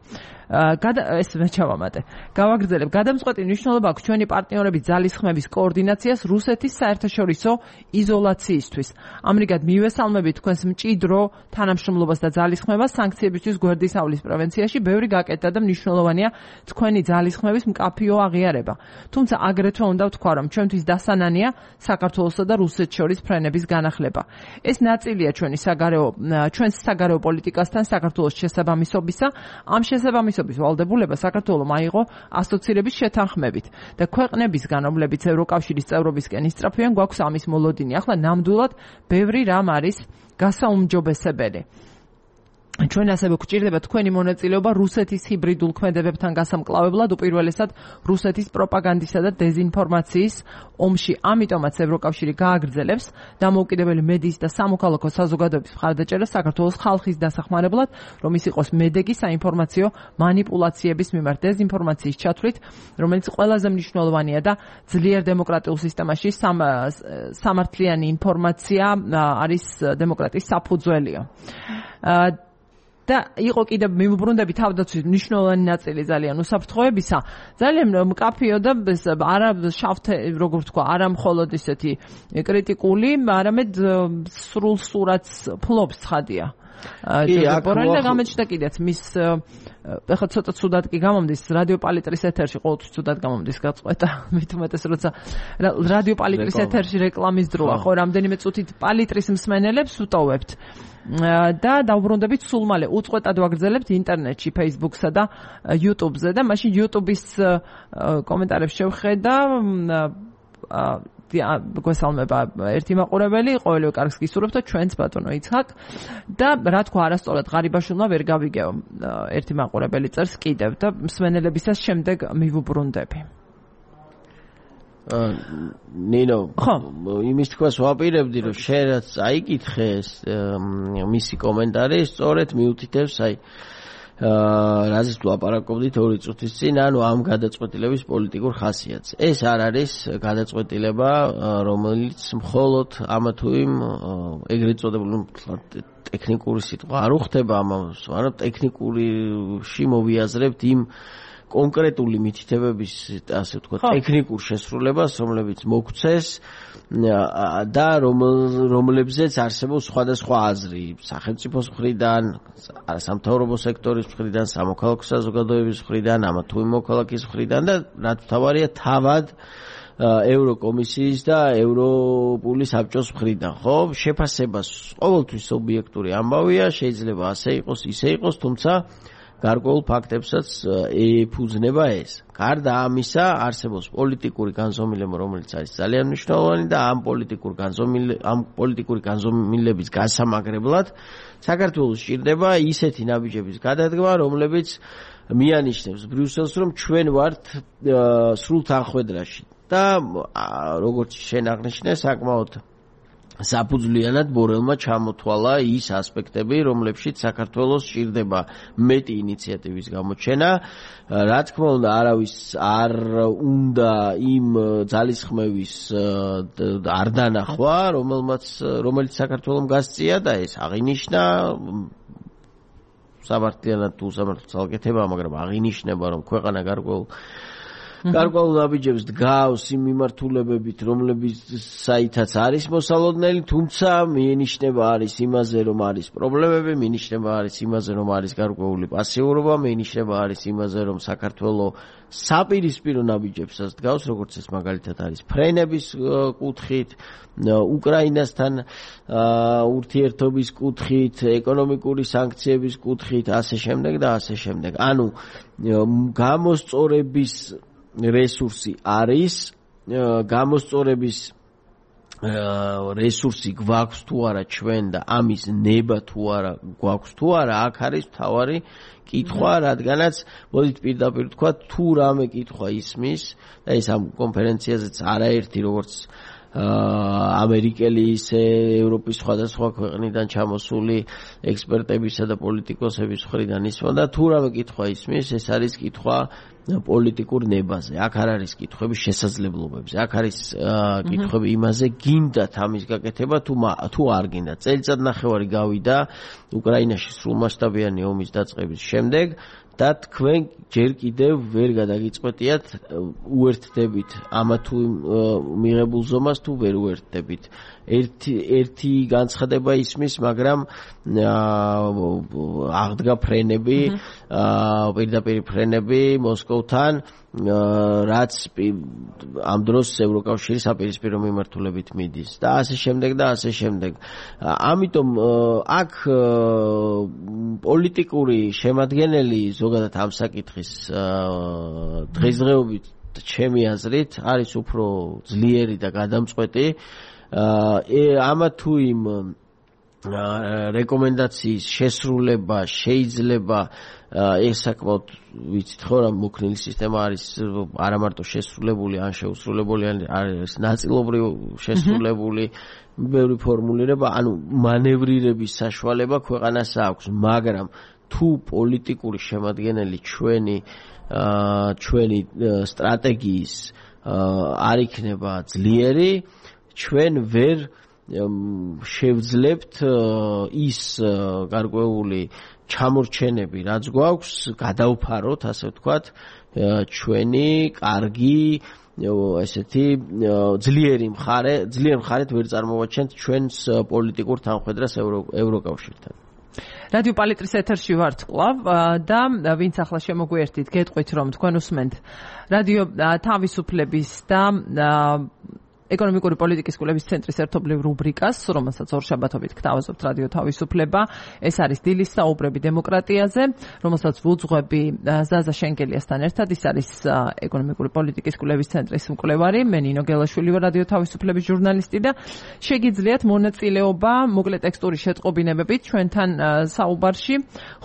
ეს მე ჩავამატე. გავაგრძელებ, გადამწყვეტი მნიშვნელობა აქვს ჩვენი პარტნიორების ძალისხმების კოორდინაციას რუსეთის საერთაშორისო იზოლაციისთვის. ამრიგად მივესალმებით თქვენს მჭიდრო თანამშრომლობას და ძალისხმებას სანქციებისთვის გვერდისავლის პრევენციაში, ბევრი გაკეთდა და მნიშვნელოვანია თქვენი ძალისხმების მკაფიო აღიარება. თუმცა აგრეთვე უნდა ვთქვა, რომ ჩვენთვის დასანანია საქართველოსა და რუსეთს შორის ფრენების განახლება. ეს ნაწილია ჩვენი საგარეო ჩვენს საგარეო პოლიტიკასთან საქართველოს შესაბამისობისა. ამ შესაბამისობის ვალდებულება საქართველოს აიღო ასოცირების შეთანხმებით და ქვეყნებისგან, რომლებიც ევროკავშირის წევრობისკენ ისწრაფვიან, გვაქვს ამის მოლოდინი. ახლა ნამდვილად ბევრი რამ არის გასაუმჯობესებელი. ჩვენ ასევე გვჭირდება თქვენი მონაწილეობა რუსეთის ჰიბრიდულ ქმედებებთან გასამკლავებლად, უპირველესად რუსეთის პროპაგანდისა და დეზინფორმაციის ომში. ამიტომაც ევროკავშირი გააგრძელებს დამოუკიდებელი მედიის და სამოქალაქო საზოგადოების მხარდაჭერას საქართველოს ხალხის დასახმარებლად, რომ ის იყოს მედეგი საინფორმაციო მანიპულაციების მიმართ დეზინფორმაციის ჩათვლით, რომელიც ყველაზე მნიშვნელოვანია და ძლიერ დემოკრატიულ სისტემაში სამართლიანი ინფორმაცია არის დემოკრატიის საფუძველიო. და იყო კიდევ მიმოbrunდები თავდაცვის მნიშვნელოვანი ნაწილი ძალიან უსაფრთხოებისა, ძალიან მკაფიო და არა შავთე, როგორ ვთქვა, არა მხოლოდ ისეთი კრიტიკული, არამედ სრულ სურათს ფლობს, ცხადია. ბორელი და გამოჩნდა კიდეც მის ეხლა ცოტა ცუდად კი გამომდის რადიო პალიტრის ეთერში, ყოველთვის ცუდად გამომდის გაწყვეტა, მით უმეტეს როცა რადიო პალიტრის ეთერში რეკლამის დროა, ხო, რამდენიმე წუთით პალიტრის მსმენელებს ვტოვებთ. და დავბრუნდებით სულ მალე უწყვეტად ვაგრძელებთ ინტერნეტში, Facebook-სა და YouTube-ზე და მაშინ YouTube-ის კომენტარებს შევხედა გვესალმება ერთი მაყურებელი, ყოველივე კარგს გისურვებთ და ჩვენც ბატონო იცხაკ და რა თქვა არასწორად ღარიბაშვილმა ვერ გავიგეო, ერთი მაყურებელი წერს კიდევ და მსმენელებისას შემდეგ მივუბრუნდები. ნინო, იმის თქვას ვაპირებდი, რომ შენ რაც აიკითხე მისი კომენტარი, სწორედ მიუთითებს აი რაზეც ვლაპარაკობდით ორი წუთის წინ, ანუ ამ გადაწყვეტილების პოლიტიკურ ხასიათს. ეს არ არის გადაწყვეტილება, რომელიც მხოლოდ ამა თუ იმ ეგრეთ წოდებული ტექნიკური სიტყვა არ უხდება ამას, მაგრამ ტექნიკურში მოვიაზრებთ იმ კონკრეტული მითითებების, ასე ვთქვათ, ტექნიკურ შესრულებას, რომლებიც მოგვცეს და რომლებზეც არსებობს სხვადასხვა აზრი სახელმწიფოს მხრიდან, სამთავრობო სექტორის მხრიდან, სამოქალაქო საზოგადოების მხრიდან, ამა თუ იმ მოქალაქის მხრიდან და რაც მთავარია, თავად ევროკომისიის და ევროპული საბჭოს მხრიდან, ხო? შეფასებას ყოველთვის ობიექტური ამბავია, შეიძლება ასე იყოს, ისე იყოს, თუმცა გარკვეულ ფაქტებსაც ეფუძნება ეს. გარდა ამისა, არსებობს პოლიტიკური განზომილება, რომელიც არის ძალიან მნიშვნელოვანი და ამ პოლიტიკურ განზომილ ამ პოლიტიკური განზომილების გასამაგრებლად საქართველოს სჭირდება ისეთი ნაბიჯების გადადგმა, რომლებიც მიანიშნებს ბრიუსელს, რომ ჩვენ ვართ სრულ თანხმედრაში და როგორც შენ აღნიშნე, საკმაოდ საფუძვლიანად ბორელმა ჩამოთვალა ის ასპექტები, რომლებშიც საქართველოს სჭირდება მეტი ინიციატივის გამოჩენა. რა თქმა უნდა, არავის არ უნდა იმ ძალისხმევის არ დანახვა, რომელმაც რომელიც საქართველოს გასწია და ეს აღინიშნა საბართლიანად თუ სამართლოს ალკეთება, მაგრამ აღინიშნება, რომ ქვეყანა გარკვეულ გარკვეულ ნაბიჯებს დგავს იმ მიმართულებებით, რომლებიცაითაც არის მოსალოდნელი, თუმცა მიენიშნება არის იმაზე, რომ არის პრობლემები, მიენიშნება არის იმაზე, რომ არის გარკვეული პასიურობა, მიენიშნება არის იმაზე, რომ საქართველოს საპირისპირო ნაბიჯებსაც დგავს, როგორც ეს მაგალითად არის ფრენების კუთხით, უკრაინასთან ურთიერთობის კუთხით, ეკონომიკური სანქციების კუთხით, ასე შემდეგ და ასე შემდეგ. ანუ გამოსწორების რესურსი არის, გამოსწორების რესურსი გვაქვს თუ არა ჩვენ და ამის ნება თუ არა გვაქვს თუ არა, აქ არის მთავარი კითხვა, რადგანაც მოდით პირდაპირ თქვა, თუ რამე კითხვა ისმის და ეს ამ კონფერენციაზეც არაერთი როგორც ამერიკელი ისე ევროპის სხვადასხვა ქვეყნიდან ჩამოსული ექსპერტებისა და პოლიტიკოსების მხრიდან ისმოდა და თუ რამე კითხვა ისმის, ეს არის კითხვა პოლიტიკურ ნებაზე. აქ არ არის კითხვები შესაძლებლობებზე. აქ არის კითხვები იმაზე, გინდათ ამის გაკეთება თუ თუ არ გინდათ. წელიწად ნახევარი გავიდა უკრაინაში სრულმასშტაბიანი ომის დაწყების შემდეგ და თქვენ ჯერ კიდევ ვერ გადაგიწყვეტიათ უერთდებით ამა თუ მიღებულ ზომას თუ ვერ უერთდებით. ერთი ერთი განცხადება ისმის, მაგრამ აღდგა ფრენები, პირდაპირ ფრენები მოსკოვთან, რაც ამ დროს ევროკავშირის საპირისპირო მიმართულებით მიდის და ასე შემდეგ და ასე შემდეგ. ამიტომ აქ პოლიტიკური შემადგენელი ზოგადად ამ საკითხის დღესდღეობით ჩემი აზრით არის უფრო ძლიერი და გადამწყვეტი. ამა თუ იმ რეკომენდაციის შესრულება შეიძლება ეს საკმაოდ ვიცით ხო რა მოქნილი სისტემა არის არა მარტო შესრულებული, ან შეუსრულებელი, ან არის ნაწილობრივ შესრულებული, ბევრი ფორმულირება, ანუ მანევრირების საშუალება ქვეყანას აქვს, მაგრამ თუ პოლიტიკური შემადგენელი ჩვენი ჩვენი სტრატეგიის არ იქნება ძლიერი, ჩვენ ვერ შევძლებთ ის გარკვეული ჩამორჩენები, რაც გვაქვს, გადავფაროთ, ასე ვთქვათ, ჩვენი კარგი ესეთი ძლიერი მხარე, ძლიერ მხარეთ ვერ წარმოვაჩენთ ჩვენს პოლიტიკურ თანხმედრას ევროკავშირთან. რადიო პალიტრის ეთერში ვართ კვლავ და ვინც ახლა შემოგვიერთით, გეტყვით რომ თქვენ უსმენთ რადიო თავისუფლების და ეკონომიკური პოლიტიკის კვლევის ცენტრის ერთობლივ რუბრიკას, რომელსაც ორშაბათობით გთავაზობთ რადიო თავისუფლება. ეს არის დილის საუბრები დემოკრატიაზე, რომელსაც ვუძღვები ზაზა შენგელიასთან ერთად. ის არის ეკონომიკური პოლიტიკის კვლევის ცენტრის მკვლევარი, მე ნინო გელაშვილი ვარ, რადიო თავისუფლების ჟურნალისტი და შეგიძლიათ მონაწილეობა მოკლე ტექსტური შეტყობინებებით ჩვენთან საუბარში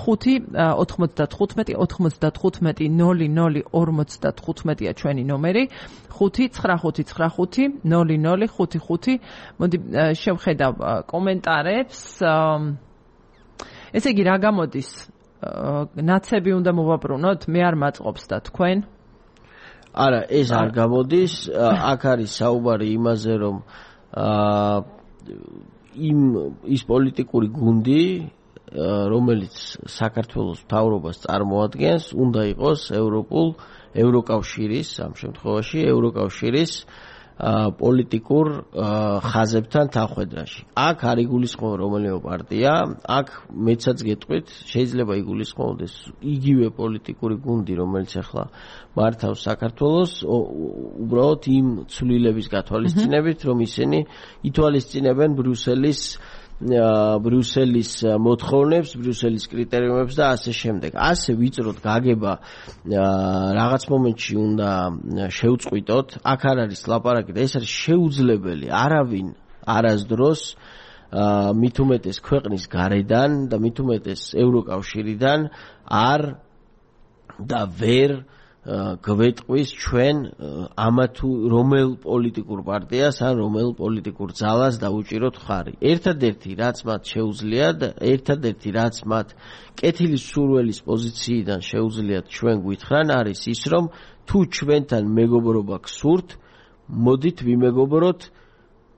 ხუთი ოთხმოცდათხუთმეტი ოცდათხუთმეტი ნული ნული ორმოცდათხუთმეტია ჩვენი ნომერი, ხუთი ცხრა ხუთი ცხრა ხუთი ნული ნული ხუთი ხუთი. მოდი შევხედავ კომენტარებს. ესე იგი რა გამოდის? ნაცები უნდა მოვაბრუნოთ? მე არ მაწყობს და თქვენ? არა, ეს არ გამოდის. აქ არის საუბარი იმაზე, რომ იმ ის პოლიტიკური გუნდი, რომელიც საქართველოს მთავრობას წარმოადგენს, უნდა იყოს ევროპულ ევროკავშირის, ამ შემთხვევაში ევროკავშირის პოლიტიკურ ხაზებთან თანხმედრაში. აქ არ იგულისხმება რომელიმე პარტია, აქ მეცაც გეტყვით, შეიძლება იგულისხმობდეს იგივე პოლიტიკური გუნდი, რომელიც ახლა მართავს საქართველოს, უბრალოდ იმ ცვლილების გათვალისწინებით, რომ ისინი ითვალისწინებენ ბრიუსელის ბრიუსელის მოთხოვნებს, ბრიუსელის კრიტერიუმებს და ასე შემდეგ. ასე ვიწროდ გაგება რაღაც მომენტში უნდა შევწყვიტოთ. აქ არ არის ლაპარაკი და ეს არის შეუძლებელი. არავინ არასდროს მით უმეტეს ქვეყნის გარედან და მით უმეტეს ევროკავშირიდან არ და ვერ გვეტყვის ჩვენ ამა თუ რომელ პოლიტიკურ პარტიას ან რომელ პოლიტიკურ ძალას დაუჭიროთ ხარი. ერთადერთი რაც მათ შეუძლიათ, ერთადერთი რაც მათ კეთილის სურვილის პოზიციიდან შეუძლიათ ჩვენ გვითხრან არის ის, რომ თუ ჩვენთან მეგობრობა გსურთ, მოდით ვიმეგობროთ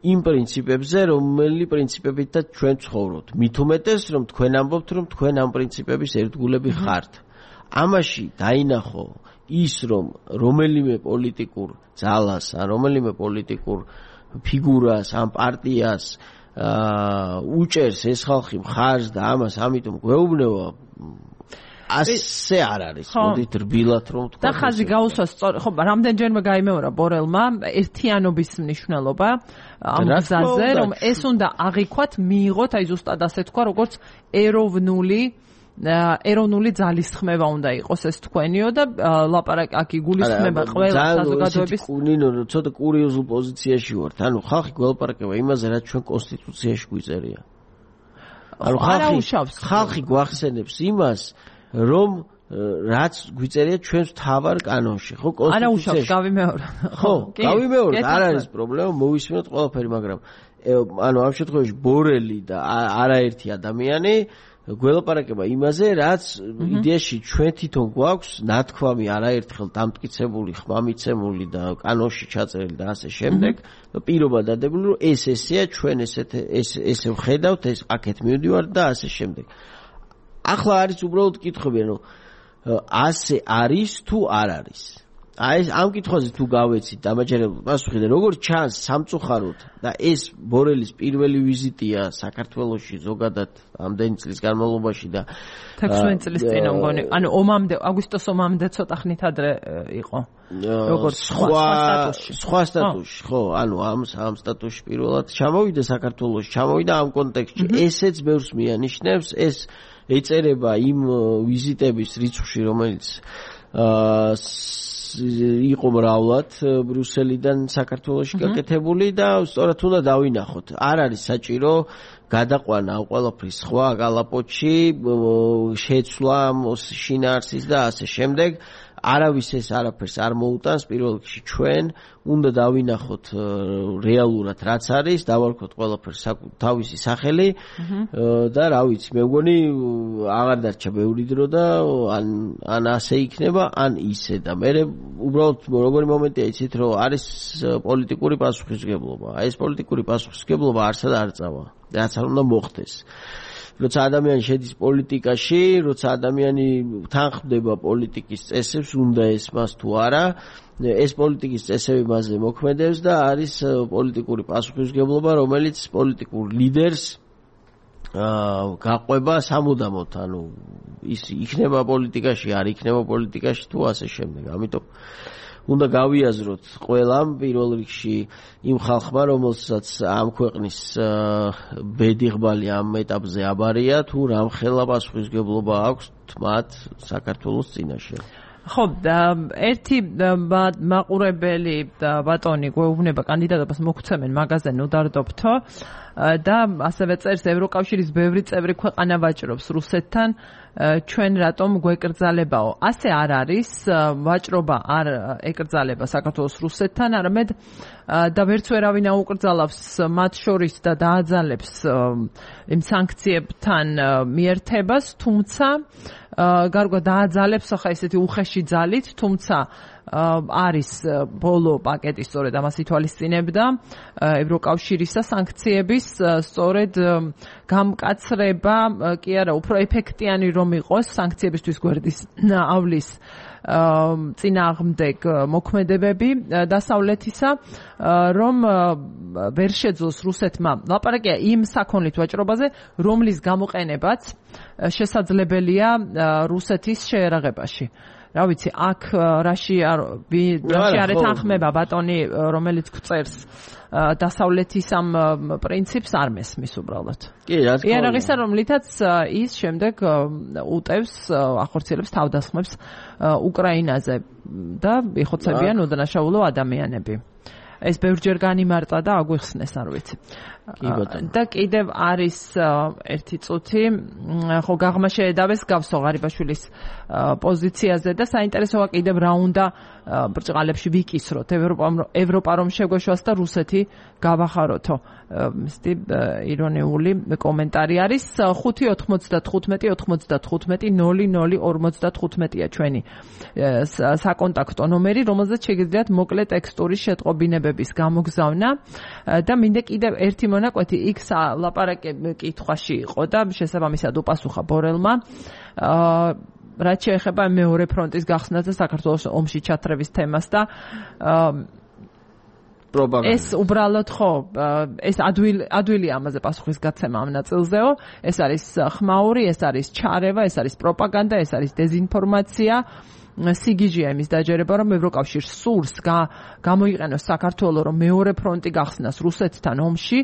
იმ პრინციპებზე, რომელი პრინციპებითაც ჩვენ ცხოვრობთ. მით უმეტეს, რომ თქვენ ამბობთ, რომ თქვენ ამ პრინციპების ერთგულები ხართ. ამაში დაინახო ის, რომ რომელიმე პოლიტიკურ ძალას, ან რომელიმე პოლიტიკურ ფიგურას, ან პარტიას უჭერს ეს ხალხი მხარს და ამას ამიტომ გვეუბნება, ასე არ არის. მოდით რბილად რომ თქვა. და ხაზი გაუსვა სწორ, ხო, რამდენჯერმე გაიმეორა ბორელმა ერთიანობის მნიშვნელობა ამ გზაზე, რომ ეს უნდა აღიქვათ, მიიღოთ, აი ზუსტად ასე თქვა, როგორც ეროვნული ეროვნული ძალისხმევა უნდა იყოს ეს თქვენიო და ლაპარაკი აქ იგულისხმება ყველა საზოგადოების. ნინო, ცოტა კურიოზულ პოზიციაში ვართ. ანუ ხალხი გველაპარაკება იმაზე, რაც ჩვენ კონსტიტუციაში გვიწერია. ანუ ხალხი ხალხი გვახსენებს იმას, რომ რაც გვიწერია ჩვენს თავარ კანონში, ხო, კონსტიტუციაში. არა, გავიმეორე. ხო, გავიმეორე, არ არის პრობლემა, მოვისმინოთ ყველაფერი, მაგრამ ანუ ამ შემთხვევაში ბორელი და არაერთი ადამიანი გველაპარაკება იმაზე, რაც იდეაში ჩვენ თვითონ გვაქვს ნათქვამი არაერთხელ დამტკიცებული, ხმამიცემული და კანონში ჩაწერილი და ასე შემდეგ, პირობა დადებული, რომ ეს ესეა, ჩვენ ესეთ ესე ვხედავთ, ეს აქეთ მივდივართ და ასე შემდეგ. ახლა არის უბრალოდ კითხვები, ანუ ასე არის თუ არ არის. აი ეს ამ კითხვაზე თუ გავეცით დამაჯერებელ პასუხი და როგორც ჩანს სამწუხაროდ და ეს ბორელის პირველი ვიზიტია საქართველოში ზოგადად ამდენი წლის განმავლობაში და ექვსმეტ წლის წინ მგონი, ანუ ომამდე, აგვისტოს ომამდე ცოტა ხნით ადრე იყო. როგორც სხვა სხვა სტატუსში, ხო, ანუ ამ ამ სტატუსში პირველად ჩამოვიდა საქართველოში, ჩამოვიდა ამ კონტექსტში. ესეც ბევრს მიანიშნებს, ეს ეწერება იმ ვიზიტების რიცხვში, რომელიც აა იყო მრავლად ბრიუსელიდან საქართველოში გაკეთებული და სწორად უნდა დავინახოთ. არ არის საჭირო გადაყვანა ამ ყველაფრის სხვა კალაპოტში, შეცვლა შინაარსის და ასე შემდეგ. არავის ეს არაფერს არ მოუტანს, პირველ რიგში ჩვენ უნდა დავინახოთ რეალურად რაც არის, დავარქოთ ყველაფერს თავისი სახელი და რა ვიცი, მე მგონი აღარ დარჩა ბევრი დრო და ან ან ასე იქნება, ან ისე და მე უბრალოდ როგორი მომენტია იცით, რომ არის პოლიტიკური პასუხისმგებლობა. აი ეს პოლიტიკური პასუხისმგებლობა არსად არ წავა. რაც არ უნდა მოხდეს. როცა ადამიანი შედის პოლიტიკაში, როცა ადამიანი თანხმდება პოლიტიკის წესებს, უნდა ესმას თუ არა, ეს პოლიტიკის წესები მასზე მოქმედებს და არის პოლიტიკური პასუხისმგებლობა, რომელიც პოლიტიკურ ლიდერს გაყვება სამუდამოდ, ანუ ის იქნება პოლიტიკაში, არ იქნება პოლიტიკაში თუ ასე შემდეგ. ამიტომ უნდა გავიაზროთ ყველამ პირველ რიგში იმ ხალხმა, რომელსაც ამ ქვეყნის ბედიღბალი ამ ეტაპზე აბარია, თუ რამხელა პასუხისმგებლობა აქვს მათ საქართველოს წინაშე. ხო, ერთი მაყურებელი ბატონი გვეუბნება კანდიდატობას მოგცემენ მაგაზე ნუდარდობთო და ასევე წერს ევროკავშირის ბევრი წევრი ქვეყანა ვაჭრობს რუსეთთან, ჩვენ რატომ გვეკრძალებაო? ასე არ არის, ვაჭრობა არ ეკრძალება საქართველოს რუსეთთან, არამედ და ვერც ვერავინ აუკრძალავს მათ შორის და დააძალებს იმ სანქციებთან მიერთებას, თუმცა გარკვეულ დააძალებს ახლა ესეთი უხეში ძალით, თუმცა არის ბოლო პაკეტი სწორედ ამას ითვალისწინებდა ევროკავშირისა სანქციების სწორედ გამკაცრება, კი არა, უფრო ეფექტიანი რომ იყოს სანქციებისთვის გვერდის ავლის წინააღმდეგ მოქმედებები დასავლეთისა, რომ ვერ შეძლოს რუსეთმა ლაპარაკია იმ საქონლით ვაჭრობაზე, რომლის გამოყენებაც შესაძლებელია რუსეთის შეერაღებაში. რა ვიცი, აქ რაში რაში არ ეთანხმება ბატონი, რომელიც გვწერს დასავლეთის ამ პრინციპს არ მესმის უბრალოდ. კი, რა თქმა უნდა. იარაღისა, რომლითაც ის შემდეგ უტევს, ახორციელებს თავდასხმებს უკრაინაზე და იხოცებიან უდანაშაულო ადამიანები. ეს ბევრჯერ განიმარტა და აგვიხსნეს, არ ვიცი. და კიდევ არის ერთი წუთი, ხო გაღმა შეედავეს გავსო ღარიბაშვილის პოზიციაზე და საინტერესოა კიდევ რა უნდა ბრჭყალებში ვიკისროთ. ევროპა რომ შეგვეშვას და რუსეთი გავახაროთო. მისტი ირონიული კომენტარი არის. ხუთი ოთხმოცდათხუთმეტი ოთხმოცდათხუთმეტი ნული ნული ორმოცდათხუთმეტია ჩვენი საკონტაქტო ნომერი, რომელზეც შეგიძლიათ მოკლე ტექსტური შეტყობინებების გამოგზავნა და მინდა კიდევ ერთი მონაკვეთი იქ ლაპარაკი კითხვაში იყო და შესაბამისად უპასუხა ბორელმა. რაც შეეხება მეორე ფრონტის გახსნას და საქართველოს ომში ჩათრევის თემას და ეს უბრალოდ ხო ეს ადვილი ადვილია ამაზე პასუხის გაცემა ამ ნაწილზეო. ეს არის ხმაური, ეს არის ჩარევა, ეს არის პროპაგანდა, ეს არის დეზინფორმაცია. სიგიჟეა იმის დაჯერება, რომ ევროკავშირს სურს გამოიყენოს საქართველოს, რომ მეორე ფრონტი გახსნას რუსეთთან ომში,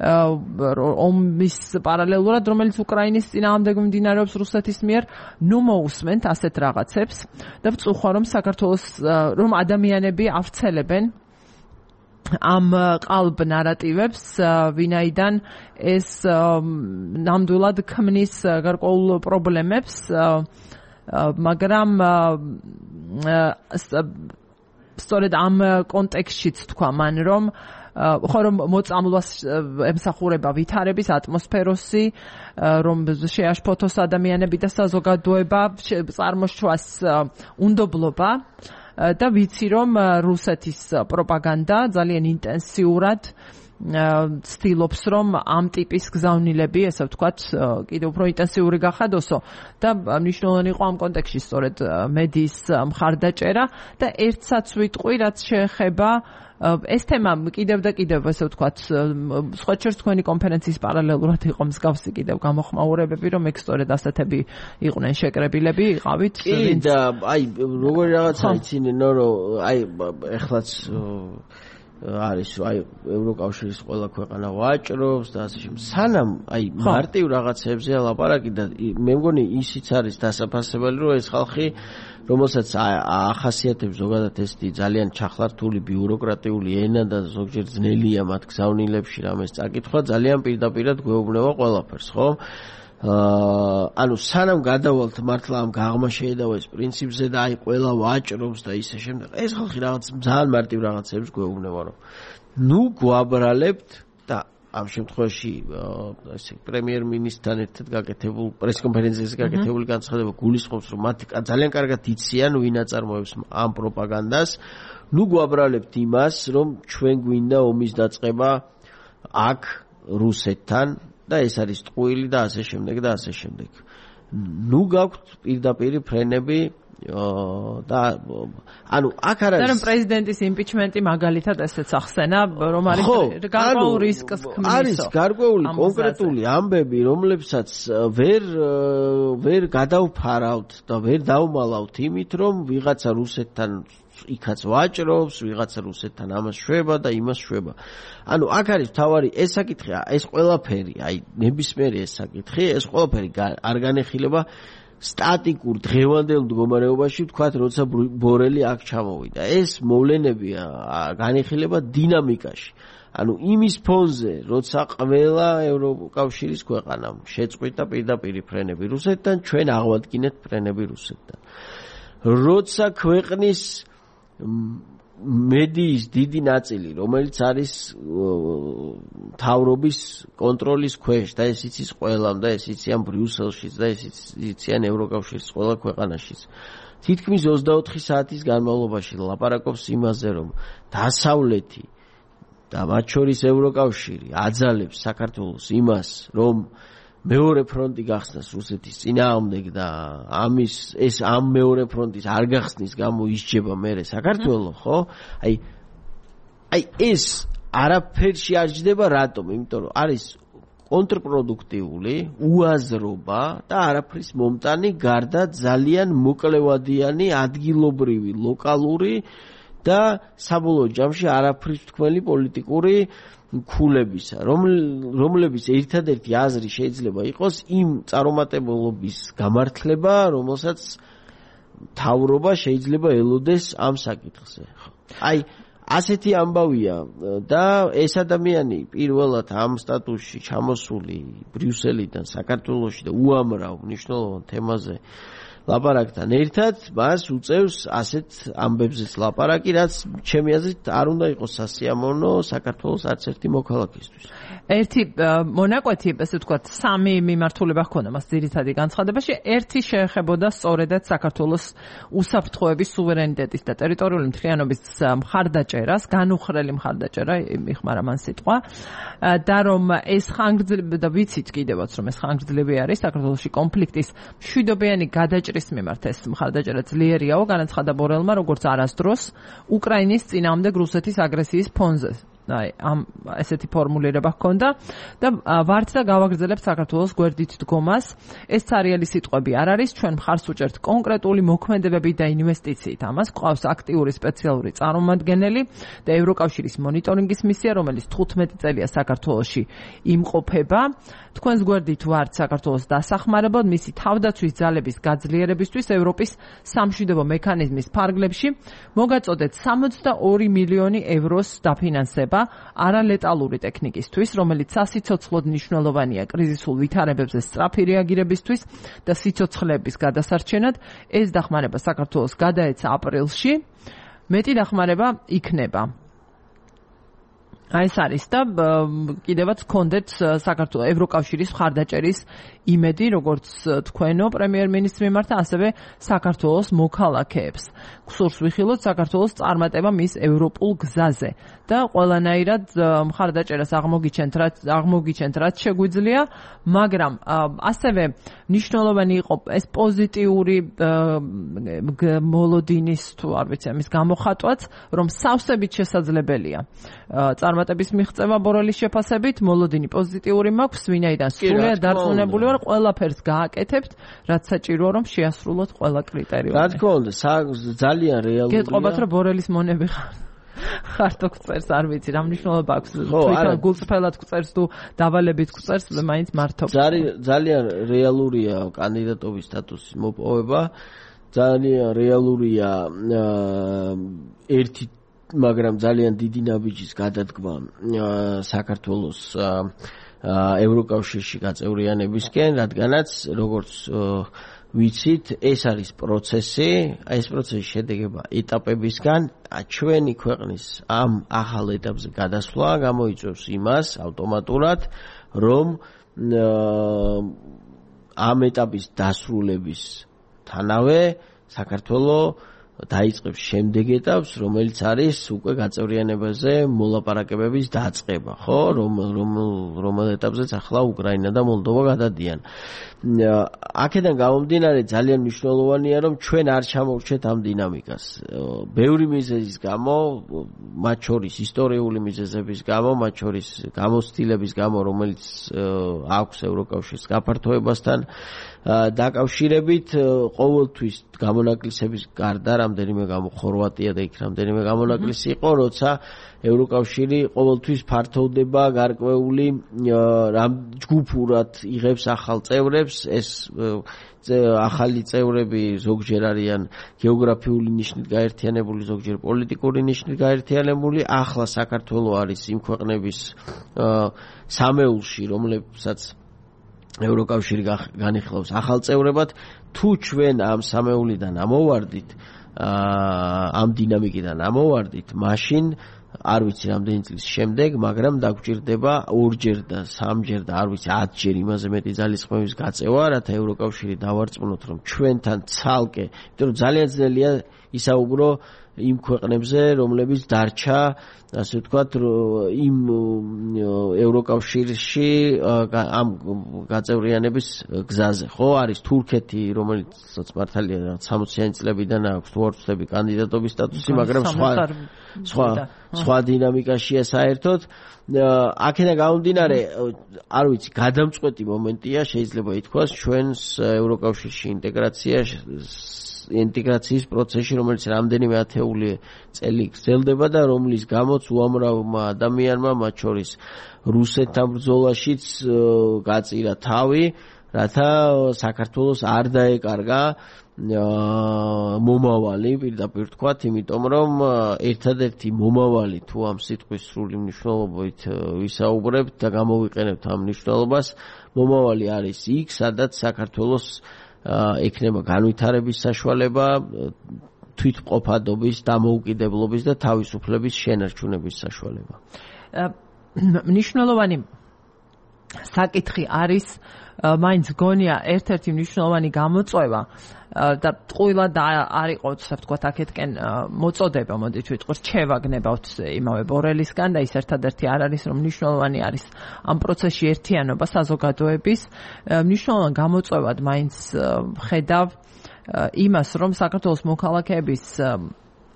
ომის პარალელურად, რომელიც უკრაინის წინააღმდეგ მიმდინარეობს რუსეთის მიერ, ნუ მოусმენთ ასეთ რაღაცებს და ვწუხვა, რომ საქართველოს რომ ადამიანები ავრცელებენ ამ ყალბ ნარატივებს, ვინაიდან ეს ნამდვილად ქმნის გარკვეულ პრობლემებს, მაგრამ სწორედ ამ კონტექსტშიც თქვა მან, რომ ხო რომ მოწამლვას ემსახურება ვითარების ატმოსფეროსი, რომ შეაშფოთოს ადამიანები და საზოგადოება, წარმოშვას უნდობლობა და ვიცი რომ რუსეთის პროპაგანდა ძალიან ინტენსიურად ცდილობს რომ ამ ტიპის გზავნილები, ესე ვთქვათ, კიდევ უფრო ინტენსიური გახადოსო და მნიშვნელოვანი იყო ამ კონტექსტში სწორედ მედიის მხარდაჭერა და ერთსაც ვიტყვი, რაც შეეხება ეს თემა კიდევ და კიდევ, ესე ვთქვათ, სხვა შორის თქვენი კონფერენციის პარალელურად იყო მსგავსი კიდევ გამოხმაურებები, რომ ეგ სწორედ ასეთები იყვნენ შეკრებილები, იყავით. კი და აი როგორი რაღაცა იცინენო, რომ აი ეხლაც არის აი ევროკავშირის ყველა ქვეყანა ვაჭრობს და ასე შემდეგ. სანამ აი მარტივ რაღაცებზეა ლაპარაკი და მე მგონი ისიც არის დასაფასებელი, რომ ეს ხალხი, რომელსაც ახასიათებს ზოგადად ესეთი ძალიან ჩახლართული ბიუროკრატიული ენა და ზოგჯერ ძნელია მათ გზავნილებში რამეს წაკითხვა, ძალიან პირდაპირად გვეუბნება ყველაფერს, ხო? აა ანუ სანამ გადავალთ მართლა ამ გაღმა შეედავა ეს პრინციპზე და აი ყველა ვაჭრობს და ისე შემდეგ, ეს ხალხი რაღაც ძალიან მარტივ რაღაცებს გვეუბნება, რომ ნუ გვაბრალებთ და ამ შემთხვევაში ესე პრემიერ-მინისტრთან ერთად გაკეთებულ პრესკონფერენციაზე გაკეთებული განცხადება გულისხმობს, რომ მათ ძალიან კარგად იციან ვინ აწარმოებს ამ პროპაგანდას. ნუ გვაბრალებთ იმას, რომ ჩვენ გვინდა ომის დაწყება აქ რუსეთთან და ეს არის ტყუილი და ასე შემდეგ და ასე შემდეგ. ნუ გაქვთ პირდაპირ ფრენები და ანუ აქ არ არის. და რომ პრეზიდენტის იმპიჩმენტი მაგალითად ესეც ახსენა, რომ არის გარკვეულ რისკს ქმნის. არის გარკვეული კონკრეტული ამბები, რომლებსაც ვერ ვერ გადავფარავთ და ვერ დავმალავთ იმით, რომ ვიღაცა რუსეთთან იქაც ვაჭრობს, ვიღაცა რუსეთთან ამას შვება და იმას შვება. ანუ აქ არის თავარი ეს საკითხი, ეს ყველაფერი, აი ნებისმიერი ეს საკითხი, ეს ყველაფერი არ განეხილება სტატიკურ დღევანდელ მდგომარეობაში, ვთქვათ, როცა ბორელი აქ ჩამოვიდა. ეს მოვლენებია განეხილება დინამიკაში. ანუ იმის ფონზე, როცა ყველა ევროკავშირის ქვეყანამ შეწყვიტა პირდაპირ ფრენები რუსეთთან, ჩვენ აღვადგინეთ ფრენები რუსეთთან. როცა ქვეყნის მედიის დიდი ნაწილი, რომელიც არის მთავრობის კონტროლის ქვეშ და ეს იცის ყველამ და ეს იციან ბრიუსელშიც და ეს იციან ევროკავშირის ყველა ქვეყანაშიც. თითქმის ოცდაოთხი საათის განმავლობაში ლაპარაკობს იმაზე, რომ დასავლეთი და მათ შორის ევროკავშირი აძალებს საქართველოს იმას, რომ მეორე ფრონტი გახსნას რუსეთის წინააღმდეგ და ამის ეს ამ მეორე ფრონტის არ გახსნის გამო ისჯება მერე საქართველოს, ხო? აი აი ეს არაფერში არ ჯდება, რატომ? იმიტომ რომ არის კონტრპროდუქტიული, უაზრობა და არაფრის მომტანი გარდა ძალიან მოკლევადიანი ადგილობრივი, ლოკალური და საბოლოო ჯამში არაფრის თქმელი პოლიტიკური ქულებისა, რომლების ერთადერთი აზრი შეიძლება იყოს იმ წარუმატებლობის გამართლება, რომელსაც თავრობა შეიძლება ელოდეს ამ საკითხზე. აი, ასეთი ამბავია და ეს ადამიანი პირველად ამ სტატუსში ჩამოსული ბრიუსელიდან საქართველოში და უამრავ მნიშვნელოვან თემაზე ლაპარაკთან ერთად მას უწევს ასეთ ამბებზეც ლაპარაკი, რაც ჩემი აზრით არ უნდა იყოს სასიამოვნო საქართველოს არც ერთი მოქალაქისთვის. ერთი მონაკვეთი, ესე ვთქვათ, სამი მიმართულება ჰქონდა მას ძირითადი განცხადებაში. ერთი შეეხებოდა სწორედაც საქართველოს უსაფრთხოების, სუვერენიტეტის და ტერიტორიული მთლიანობის მხარდაჭერას, განუხრელი მხარდაჭერა, მიხმარა მან სიტყვა, და რომ ეს ხანგრძლივი და ვიცით კიდევაც რომ ეს ხანგრძლივი არის საქართველოში კონფლიქტის მშვიდობიანი გადაჭრის მიმართ ეს მხარდაჭერა ძლიერიაო, განაცხადა ბორელმა, როგორც არასდროს უკრაინის წინააღმდეგ რუსეთის აგრესიის ფონზე. აი, ამ ესეთი ფორმულირება ჰქონდა და ვართ და გავაგრძელებთ საქართველოს გვერდით დგომას. ეს ცარიელი სიტყვები არ არის, ჩვენ მხარს უჭერთ კონკრეტული მოქმედებებით და ინვესტიციით. ამას გვყავს აქტიური სპეციალური წარმომადგენელი და ევროკავშირის მონიტორინგის მისია, რომელიც თხუთმეტი წელია საქართველოში იმყოფება. თქვენს გვერდით ვართ საქართველოს დასახმარებლად, მისი თავდაცვის ძალების გაძლიერებისთვის ევროპის სამშვიდობო მექანიზმის ფარგლებში მოგაწოდეთ სამოცდაორი მილიონი ევროს დაფინანსება არალეტალური ტექნიკისთვის, რომელიც სასიცოცხლოდ მნიშვნელოვანია კრიზისულ ვითარებებზე სწრაფი რეაგირებისთვის და სიცოცხლეების გადასარჩენად. ეს დახმარება საქართველოს გადაეცა აპრილში, მეტი დახმარება იქნება. აი ეს არის და კიდევაც გქონდეთ საქართველოს ევროკავშირის მხარდაჭერის იმედი, როგორც თქვენო პრემიერ-მინისტრის მიმართ, ასევე საქართველოს მოქალაქეებს. გსურს ვიხილოთ საქართველოს წარმატება მის ევროპულ გზაზე და ყველანაირად მხარდაჭერას აღმოგიჩენთ, რაც აღმოგიჩენთ, რაც შეგვიძლია, მაგრამ ასევე მნიშვნელოვანი იყო ეს პოზიტიური მოლოდინის თუ არ ვიცი ამის გამოხატვაც, რომ სავსებით შესაძლებელია წარმატების მიღწევა ბორელის შეფასებით, მოლოდინი პოზიტიური მაქვს, ვინაიდან სრულიად დარწმუნებული ვარ, ყველაფერს გააკეთებთ, რაც საჭიროა, რომ შეასრულოთ ყველა კრიტერიუმი. რა თქმა უნდა, ძალიან რეალურია. გეტყობათ, რომ ბორელის მონები ხარ. ხარტო გწერს, არ ვიცი, რა მნიშვნელობა აქვს. თვითონ გულწრფელად გწერს თუ დავალებით გწერს, მაინც მართობ. ძალიან რეალურია კანდიდატობის სტატუსის მოპოვება. ძალიან რეალურია ერთი მაგრამ ძალიან დიდი ნაბიჯის გადადგმა საქართველოს ევროკავშირში გაწევრიანებისკენ, რადგანაც როგორც ვიცით, ეს არის პროცესი, ეს პროცესი შედგება ეტაპებისგან. ჩვენი ქვეყნის ამ ახალ ეტაპზე გადასვლა გამოიწვევს იმას ავტომატურად, რომ ამ ეტაპის დასრულებისთანავე საქართველოს დაიწყებს შემდეგ ეტაპს, რომელიც არის უკვე გაწევრიანებაზე მოლაპარაკებების დაწყება, ხო? რომ რომელ ეტაპზეც ახლა უკრაინა და მოლდოვა გადადიან. აქედან გამომდინარე ძალიან მნიშვნელოვანია, რომ ჩვენ არ ჩამოვრჩეთ ამ დინამიკას. ბევრი მიზეზის გამო, მათ შორის ისტორიული მიზეზების გამო, მათ შორის გამოცდილების გამო, რომელიც აქვს ევროკავშირის გაფართოებასთან დაკავშირებით, ყოველთვის გამონაკლისების გარდა რამდენიმე გამო ხორვატია და იქ რამდენიმე გამონაკლისი იყო, როცა ევროკავშირი ყოველთვის ფართოვდება გარკვეული ჯგუფურად იღებს ახალ წევრებს, ეს ახალი წევრები ზოგჯერ არიან გეოგრაფიული ნიშნით გაერთიანებული, ზოგჯერ პოლიტიკური ნიშნით გაერთიანებული. ახლა საქართველოს არის იმ ქვეყნების სამეულში, რომლებსაც ევროკავშირი განიხილავს ახალ წევრებად. თუ ჩვენ ამ სამეულიდან ამოვარდით, ამ დინამიკიდან ამოვარდით, მაშინ არ ვიცი რამდენი წლის შემდეგ, მაგრამ დაგვჭირდება ორჯერ და სამჯერ და არ ვიცი ათჯერ იმაზე მეტი ძალისხმევის გაწევა, რათა ევროკავშირი დავარწმუნოთ, რომ ჩვენთან ცალკე, იმიტომ რომ ძალიან ძნელია ისაუბრო იმ ქვეყნებზე, რომლებიც დარჩა, ასე ვთქვათ, იმ ევროკავშირში ამ გაწევრიანების გზაზე, ხო? არის თურქეთი, რომელიც მართალია სამოციანი წლებიდან აქვს თუ არ ვცდები კანდიდატობის სტატუსი, მაგრამ სხვა სხვა სხვა დინამიკაშია საერთოდ. აქედან გამომდინარე, არ ვიცი, გადამწყვეტი მომენტია, შეიძლება ითქვას, ჩვენს ევროკავშირში ინტეგრაცია ინტეგრაციის პროცესში, რომელიც რამდენიმე ათეული წელი გრძელდება და რომლის გამოც უამრავმა ადამიანმა, მათ შორის რუსეთთან ბრძოლაშიც გაწირა თავი, რათა საქართველოს არ დაეკარგა მომავალი, პირდაპირ ვთქვათ, იმიტომ რომ ერთადერთი მომავალი თუ ამ სიტყვის სრული მნიშვნელობით ვისაუბრებთ და გამოვიყენებთ ამ მნიშვნელობას, მომავალი არის იქ, სადაც საქართველოს ექნება განვითარების საშუალება, თვითმყოფადობის, დამოუკიდებლობის და თავისუფლების შენარჩუნების საშუალება. მნიშვნელოვანი საკითხი არის, მაინც გონია ერთ-ერთი მნიშვნელოვანი გამოწვევა და ტყუილად არ იყო, ასე ვთქვათ, აქეთკენ მოწოდება, მოდით ვიტყვი, რჩევა გნებავთ იმავე ბორელისგან და ის ერთადერთი არ არის, რომ მნიშვნელოვანი არის ამ პროცესში ერთიანობა საზოგადოების. მნიშვნელოვან გამოწვევად მაინც ხედავ იმას, რომ საქართველოს მოქალაქეების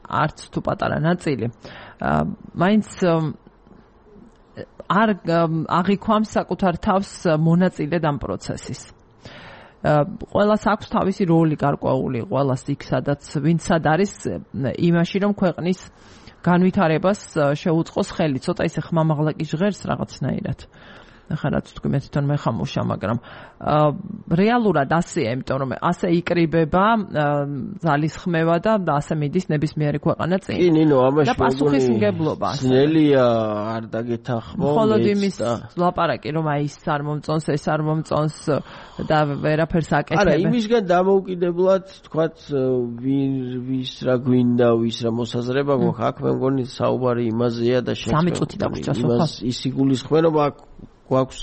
არც თუ პატარა ნაწილი მაინც არ აღიქვამს საკუთარ თავს მონაწილედ ამ პროცესის. ყველას აქვს თავისი როლი გარკვეული, ყველას იქ სადაც ვინც სად არის იმაში, რომ ქვეყნის განვითარებას შეუწყოს ხელი. ცოტა ისე ხმამაღლა კი ჟღერს რაღაცნაირად. ახლა რაც თქვი მე თვითონ მეხამუშა, მაგრამ რეალურად ასეა, იმიტომ რომ ასე იკრიბება ძალისხმევა და ასე მიდის ნებისმიერი ქვეყანა წინ. კი, ნინო, ამაში და პასუხისმგებლობა. ძნელია არ დაგეთანხმო. მხოლოდ იმის ლაპარაკი, რომ აი ის არ მომწონს, ეს არ მომწონს და ვერაფერს აკეთებ. არა, იმისგან დამოუკიდებლად, თქვათ, ვის რა გვინდა, ვის რა მოსაზრება გვაქვს, აქ მე მგონი საუბარი იმაზეა და შეცდომა. სამი წუთი დაგვრჩა სოფა. ის იგულისხმება აქ გვაქვს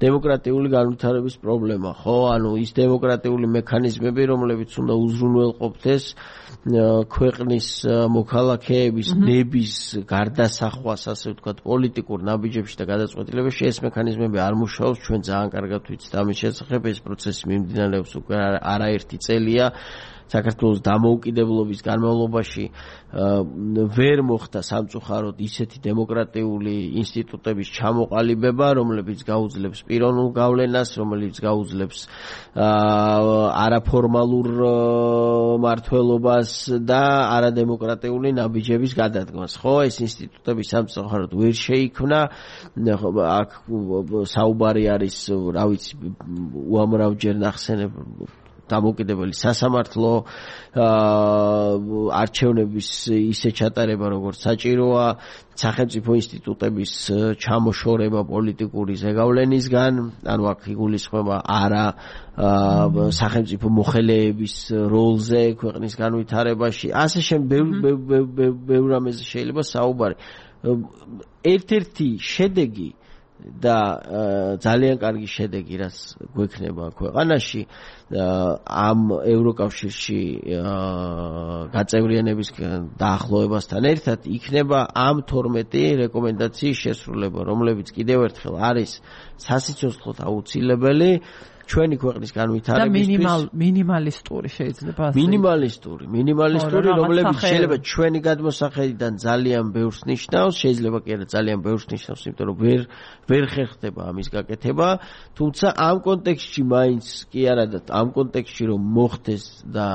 დემოკრატიული განვითარების პრობლემა, ხო? ანუ ის დემოკრატიული მექანიზმები, რომლებიც უნდა უზრუნველყოფდეს ქვეყნის მოქალაქეების ნების გარდასახვას, ასე ვთქვათ, პოლიტიკურ ნაბიჯებში და გადაწყვეტილებებში, ეს მექანიზმები არ მუშაობს, ჩვენ ძალიან კარგად ვიცით ამის შესახებ, ეს პროცესი მიმდინარეობს უკვე არაერთი წელია. საქართველოს დამოუკიდებლობის განმავლობაში ვერ მოხდა სამწუხაროდ ისეთი დემოკრატიული ინსტიტუტების ჩამოყალიბება, რომლებიც გაუძლებს პიროვნულ გავლენას, რომელიც გაუძლებს არაფორმალურ მმართველობას და არადემოკრატიული ნაბიჯების გადადგმას. ხო, ეს ინსტიტუტები სამწუხაროდ ვერ შეიქმნა. აქ საუბარი არის, რა ვიცი, უამრავჯერ ნახსენებ დამოუკიდებელი სასამართლო არჩევნების ისე ჩატარება, როგორც საჭიროა, სახელმწიფო ინსტიტუტების ჩამოშორება პოლიტიკური ზეგავლენისგან, ანუ აქ იგულისხმება არა სახელმწიფო მოხელეების როლზე ქვეყნის განვითარებაში, ასე შემდგომ ბევრ რამეზე შეიძლება საუბარი. ერთ-ერთი შედეგი და ძალიან კარგი შედეგი, რაც გვექნება ქვეყანაში ამ ევროკავშირში გაწევრიანების დაახლოებასთან ერთად იქნება ამ თორმეტი რეკომენდაციის შესრულება, რომლებიც კიდევ ერთხელ არის სასიცოცხლოდ აუცილებელი ჩვენი ქვეყნის განვითარებისთვის და მინიმალისტური შეიძლება ასე მინიმალისტური მინიმალისტური რომლებიც შეიძლება ჩვენი გადმოსახედიდან ძალიან ბევრს ნიშნავს, შეიძლება კი არა ძალიან ბევრს ნიშნავს, იმიტომ რომ ვერ ვერ ხერხდება ამის გაკეთება, თუმცა ამ კონტექსტში მაინც კი არა და ამ კონტექსტში რომ მოხდეს და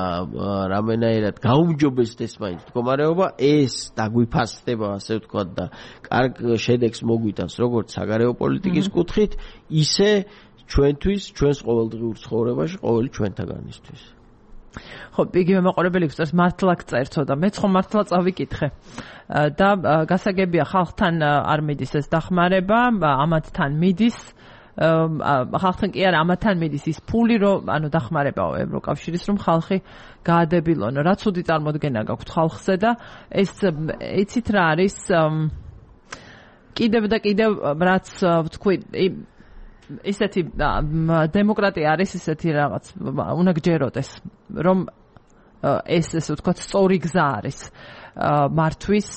რამენაირად გაუმჯობესდეს მაინც მდგომარეობა, ეს დაგვიფასდება, ასე ვთქვათ, და კარგ შედეგს მოგვიტანს როგორც საგარეო პოლიტიკის კუთხით, ისე ჩვენთვის, ჩვენს ყოველდღიურ ცხოვრებაში, ყოველი ჩვენთაგანისთვის. ხო, იგივე მაყურებელი გვწერს მართლა გწერცო და მეც ხომ მართლა წავიკითხე. და გასაგებია ხალხთან არ მიდის ეს დახმარება, ამათთან მიდის. ხალხთან კი არა, ამათთან მიდის ის ფული, რომ ანუ დახმარებაო ევროკავშირის, რომ ხალხი გაადებილონ. რა ცუდი წარმოდგენა გაქვთ ხალხზე და ეს იცით რა არის კიდევ და კიდევ რაც ვთქვი ისეთი დემოკრატია არის ისეთი რაღაც უნდა გჯეროდეს რომ ეს ესე ვთქვათ სწორი გზა არის მართვის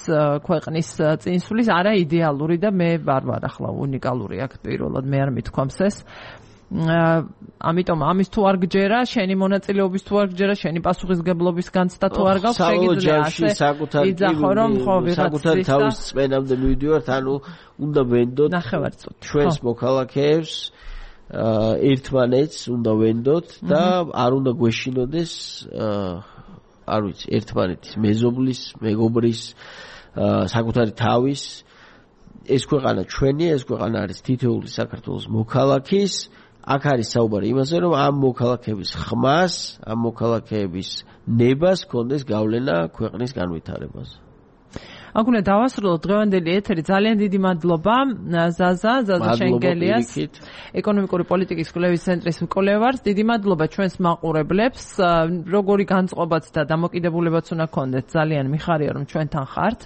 ქვეყნის წინსვლის არა იდეალური და მე არ ვარ ახლა უნიკალური აქ პირველად მე არ მithქვამს ეს ამიტომ ამის თუ არ გჯერა შენი მონაწილეობის თუ არ გჯერა შენი პასუხისგებლობის განცდა თუ არ გაქვს შეგიძლია ასე იძახო რომ ხო საკუთარი თავის წმენამდე მივიდივართ ანუ უნდა ვენდოთ ნახევარწუთი ჩვენს მოქალაქეებს ერთმანეთს უნდა ვენდოთ და არ უნდა გვეშინოდეს არ ვიცი ერთმანეთის მეზობლის მეგობრის საკუთარი თავის ეს ქვეყანა ჩვენია ეს ქვეყანა არის თითოეული საქართველოს მოქალაქის აქ არის საუბარი იმაზე რომ ამ მოქალაქეების ხმას ამ მოქალაქეების ნებას კონდეს გავლენა ქვეყნის განვითარებაზე აქ უნდა დავასრულოთ დღევანდელი ეთერი ძალიან დიდი მადლობა ზაზა ზაზა შენგელიას ეკონომიკური პოლიტიკის კვლევის ცენტრის მკვლევარს დიდი მადლობა ჩვენს მაყურებლებს როგორი განწყობაც და დამოკიდებულებაც უნდა გქონდეთ ძალიან მიხარია რომ ჩვენთან ხართ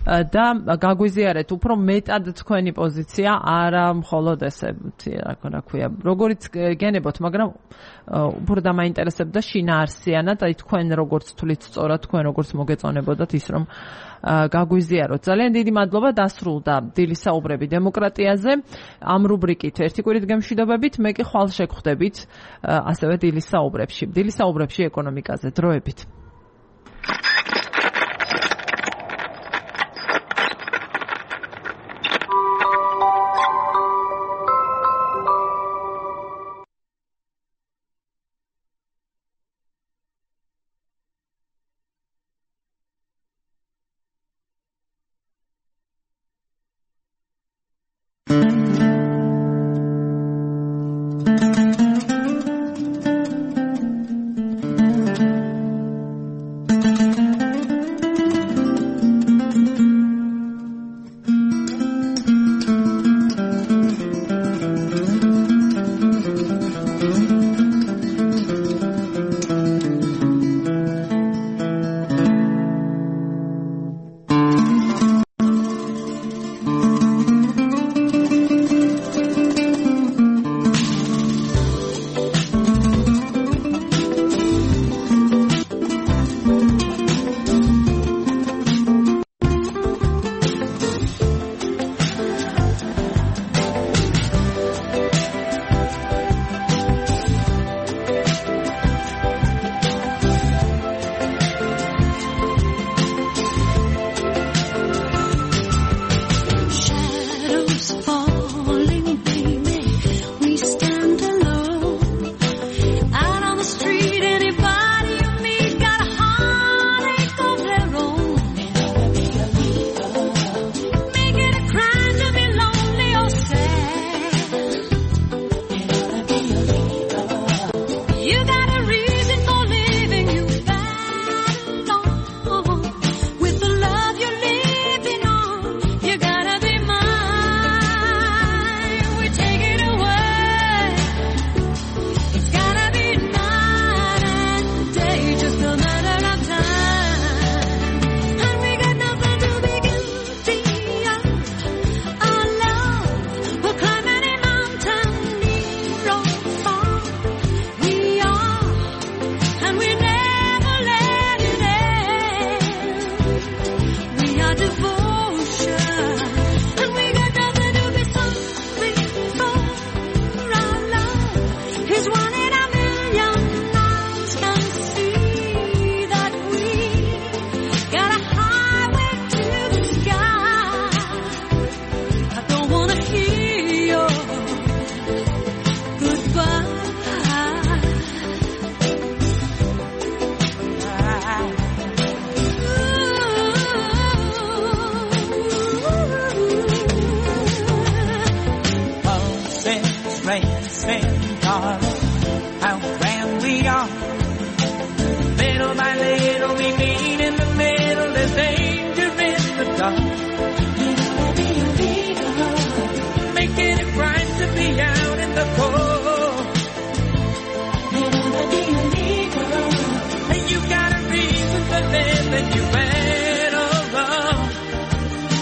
და გაგვიზიარეთ უფრო მეტად თქვენი პოზიცია არა მხოლოდ ესე რა ქვია როგორიც გენებოთ მაგრამ უფრო დამაინტერესებდა შინაარსიანად აი თქვენ როგორც თვლით სწორად თქვენ როგორც მოგეწონებოდათ ის რომ გაგვიზიაროთ ძალიან დიდი მადლობა დასრულდა დილის საუბრები დემოკრატიაზე ამ რუბრიკით ერთი კვირით გემშვიდობებით მე კი ხვალ შეგხვდებით ასევე დილის საუბრებში დილის საუბრებში ეკონომიკაზე დროებით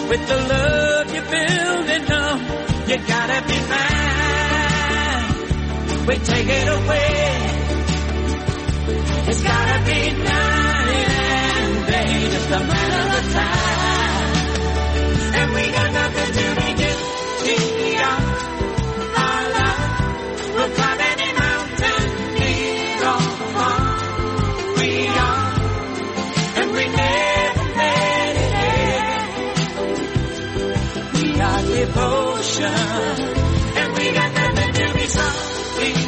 with the love you're building up, you gotta be mine. We take it away. It's gotta be night and day, just a matter of time. And we got nothing to be guilty of. Our love will climb any mountain, need all we are, and we never made it. We are devotion, and we got nothing to be sorry.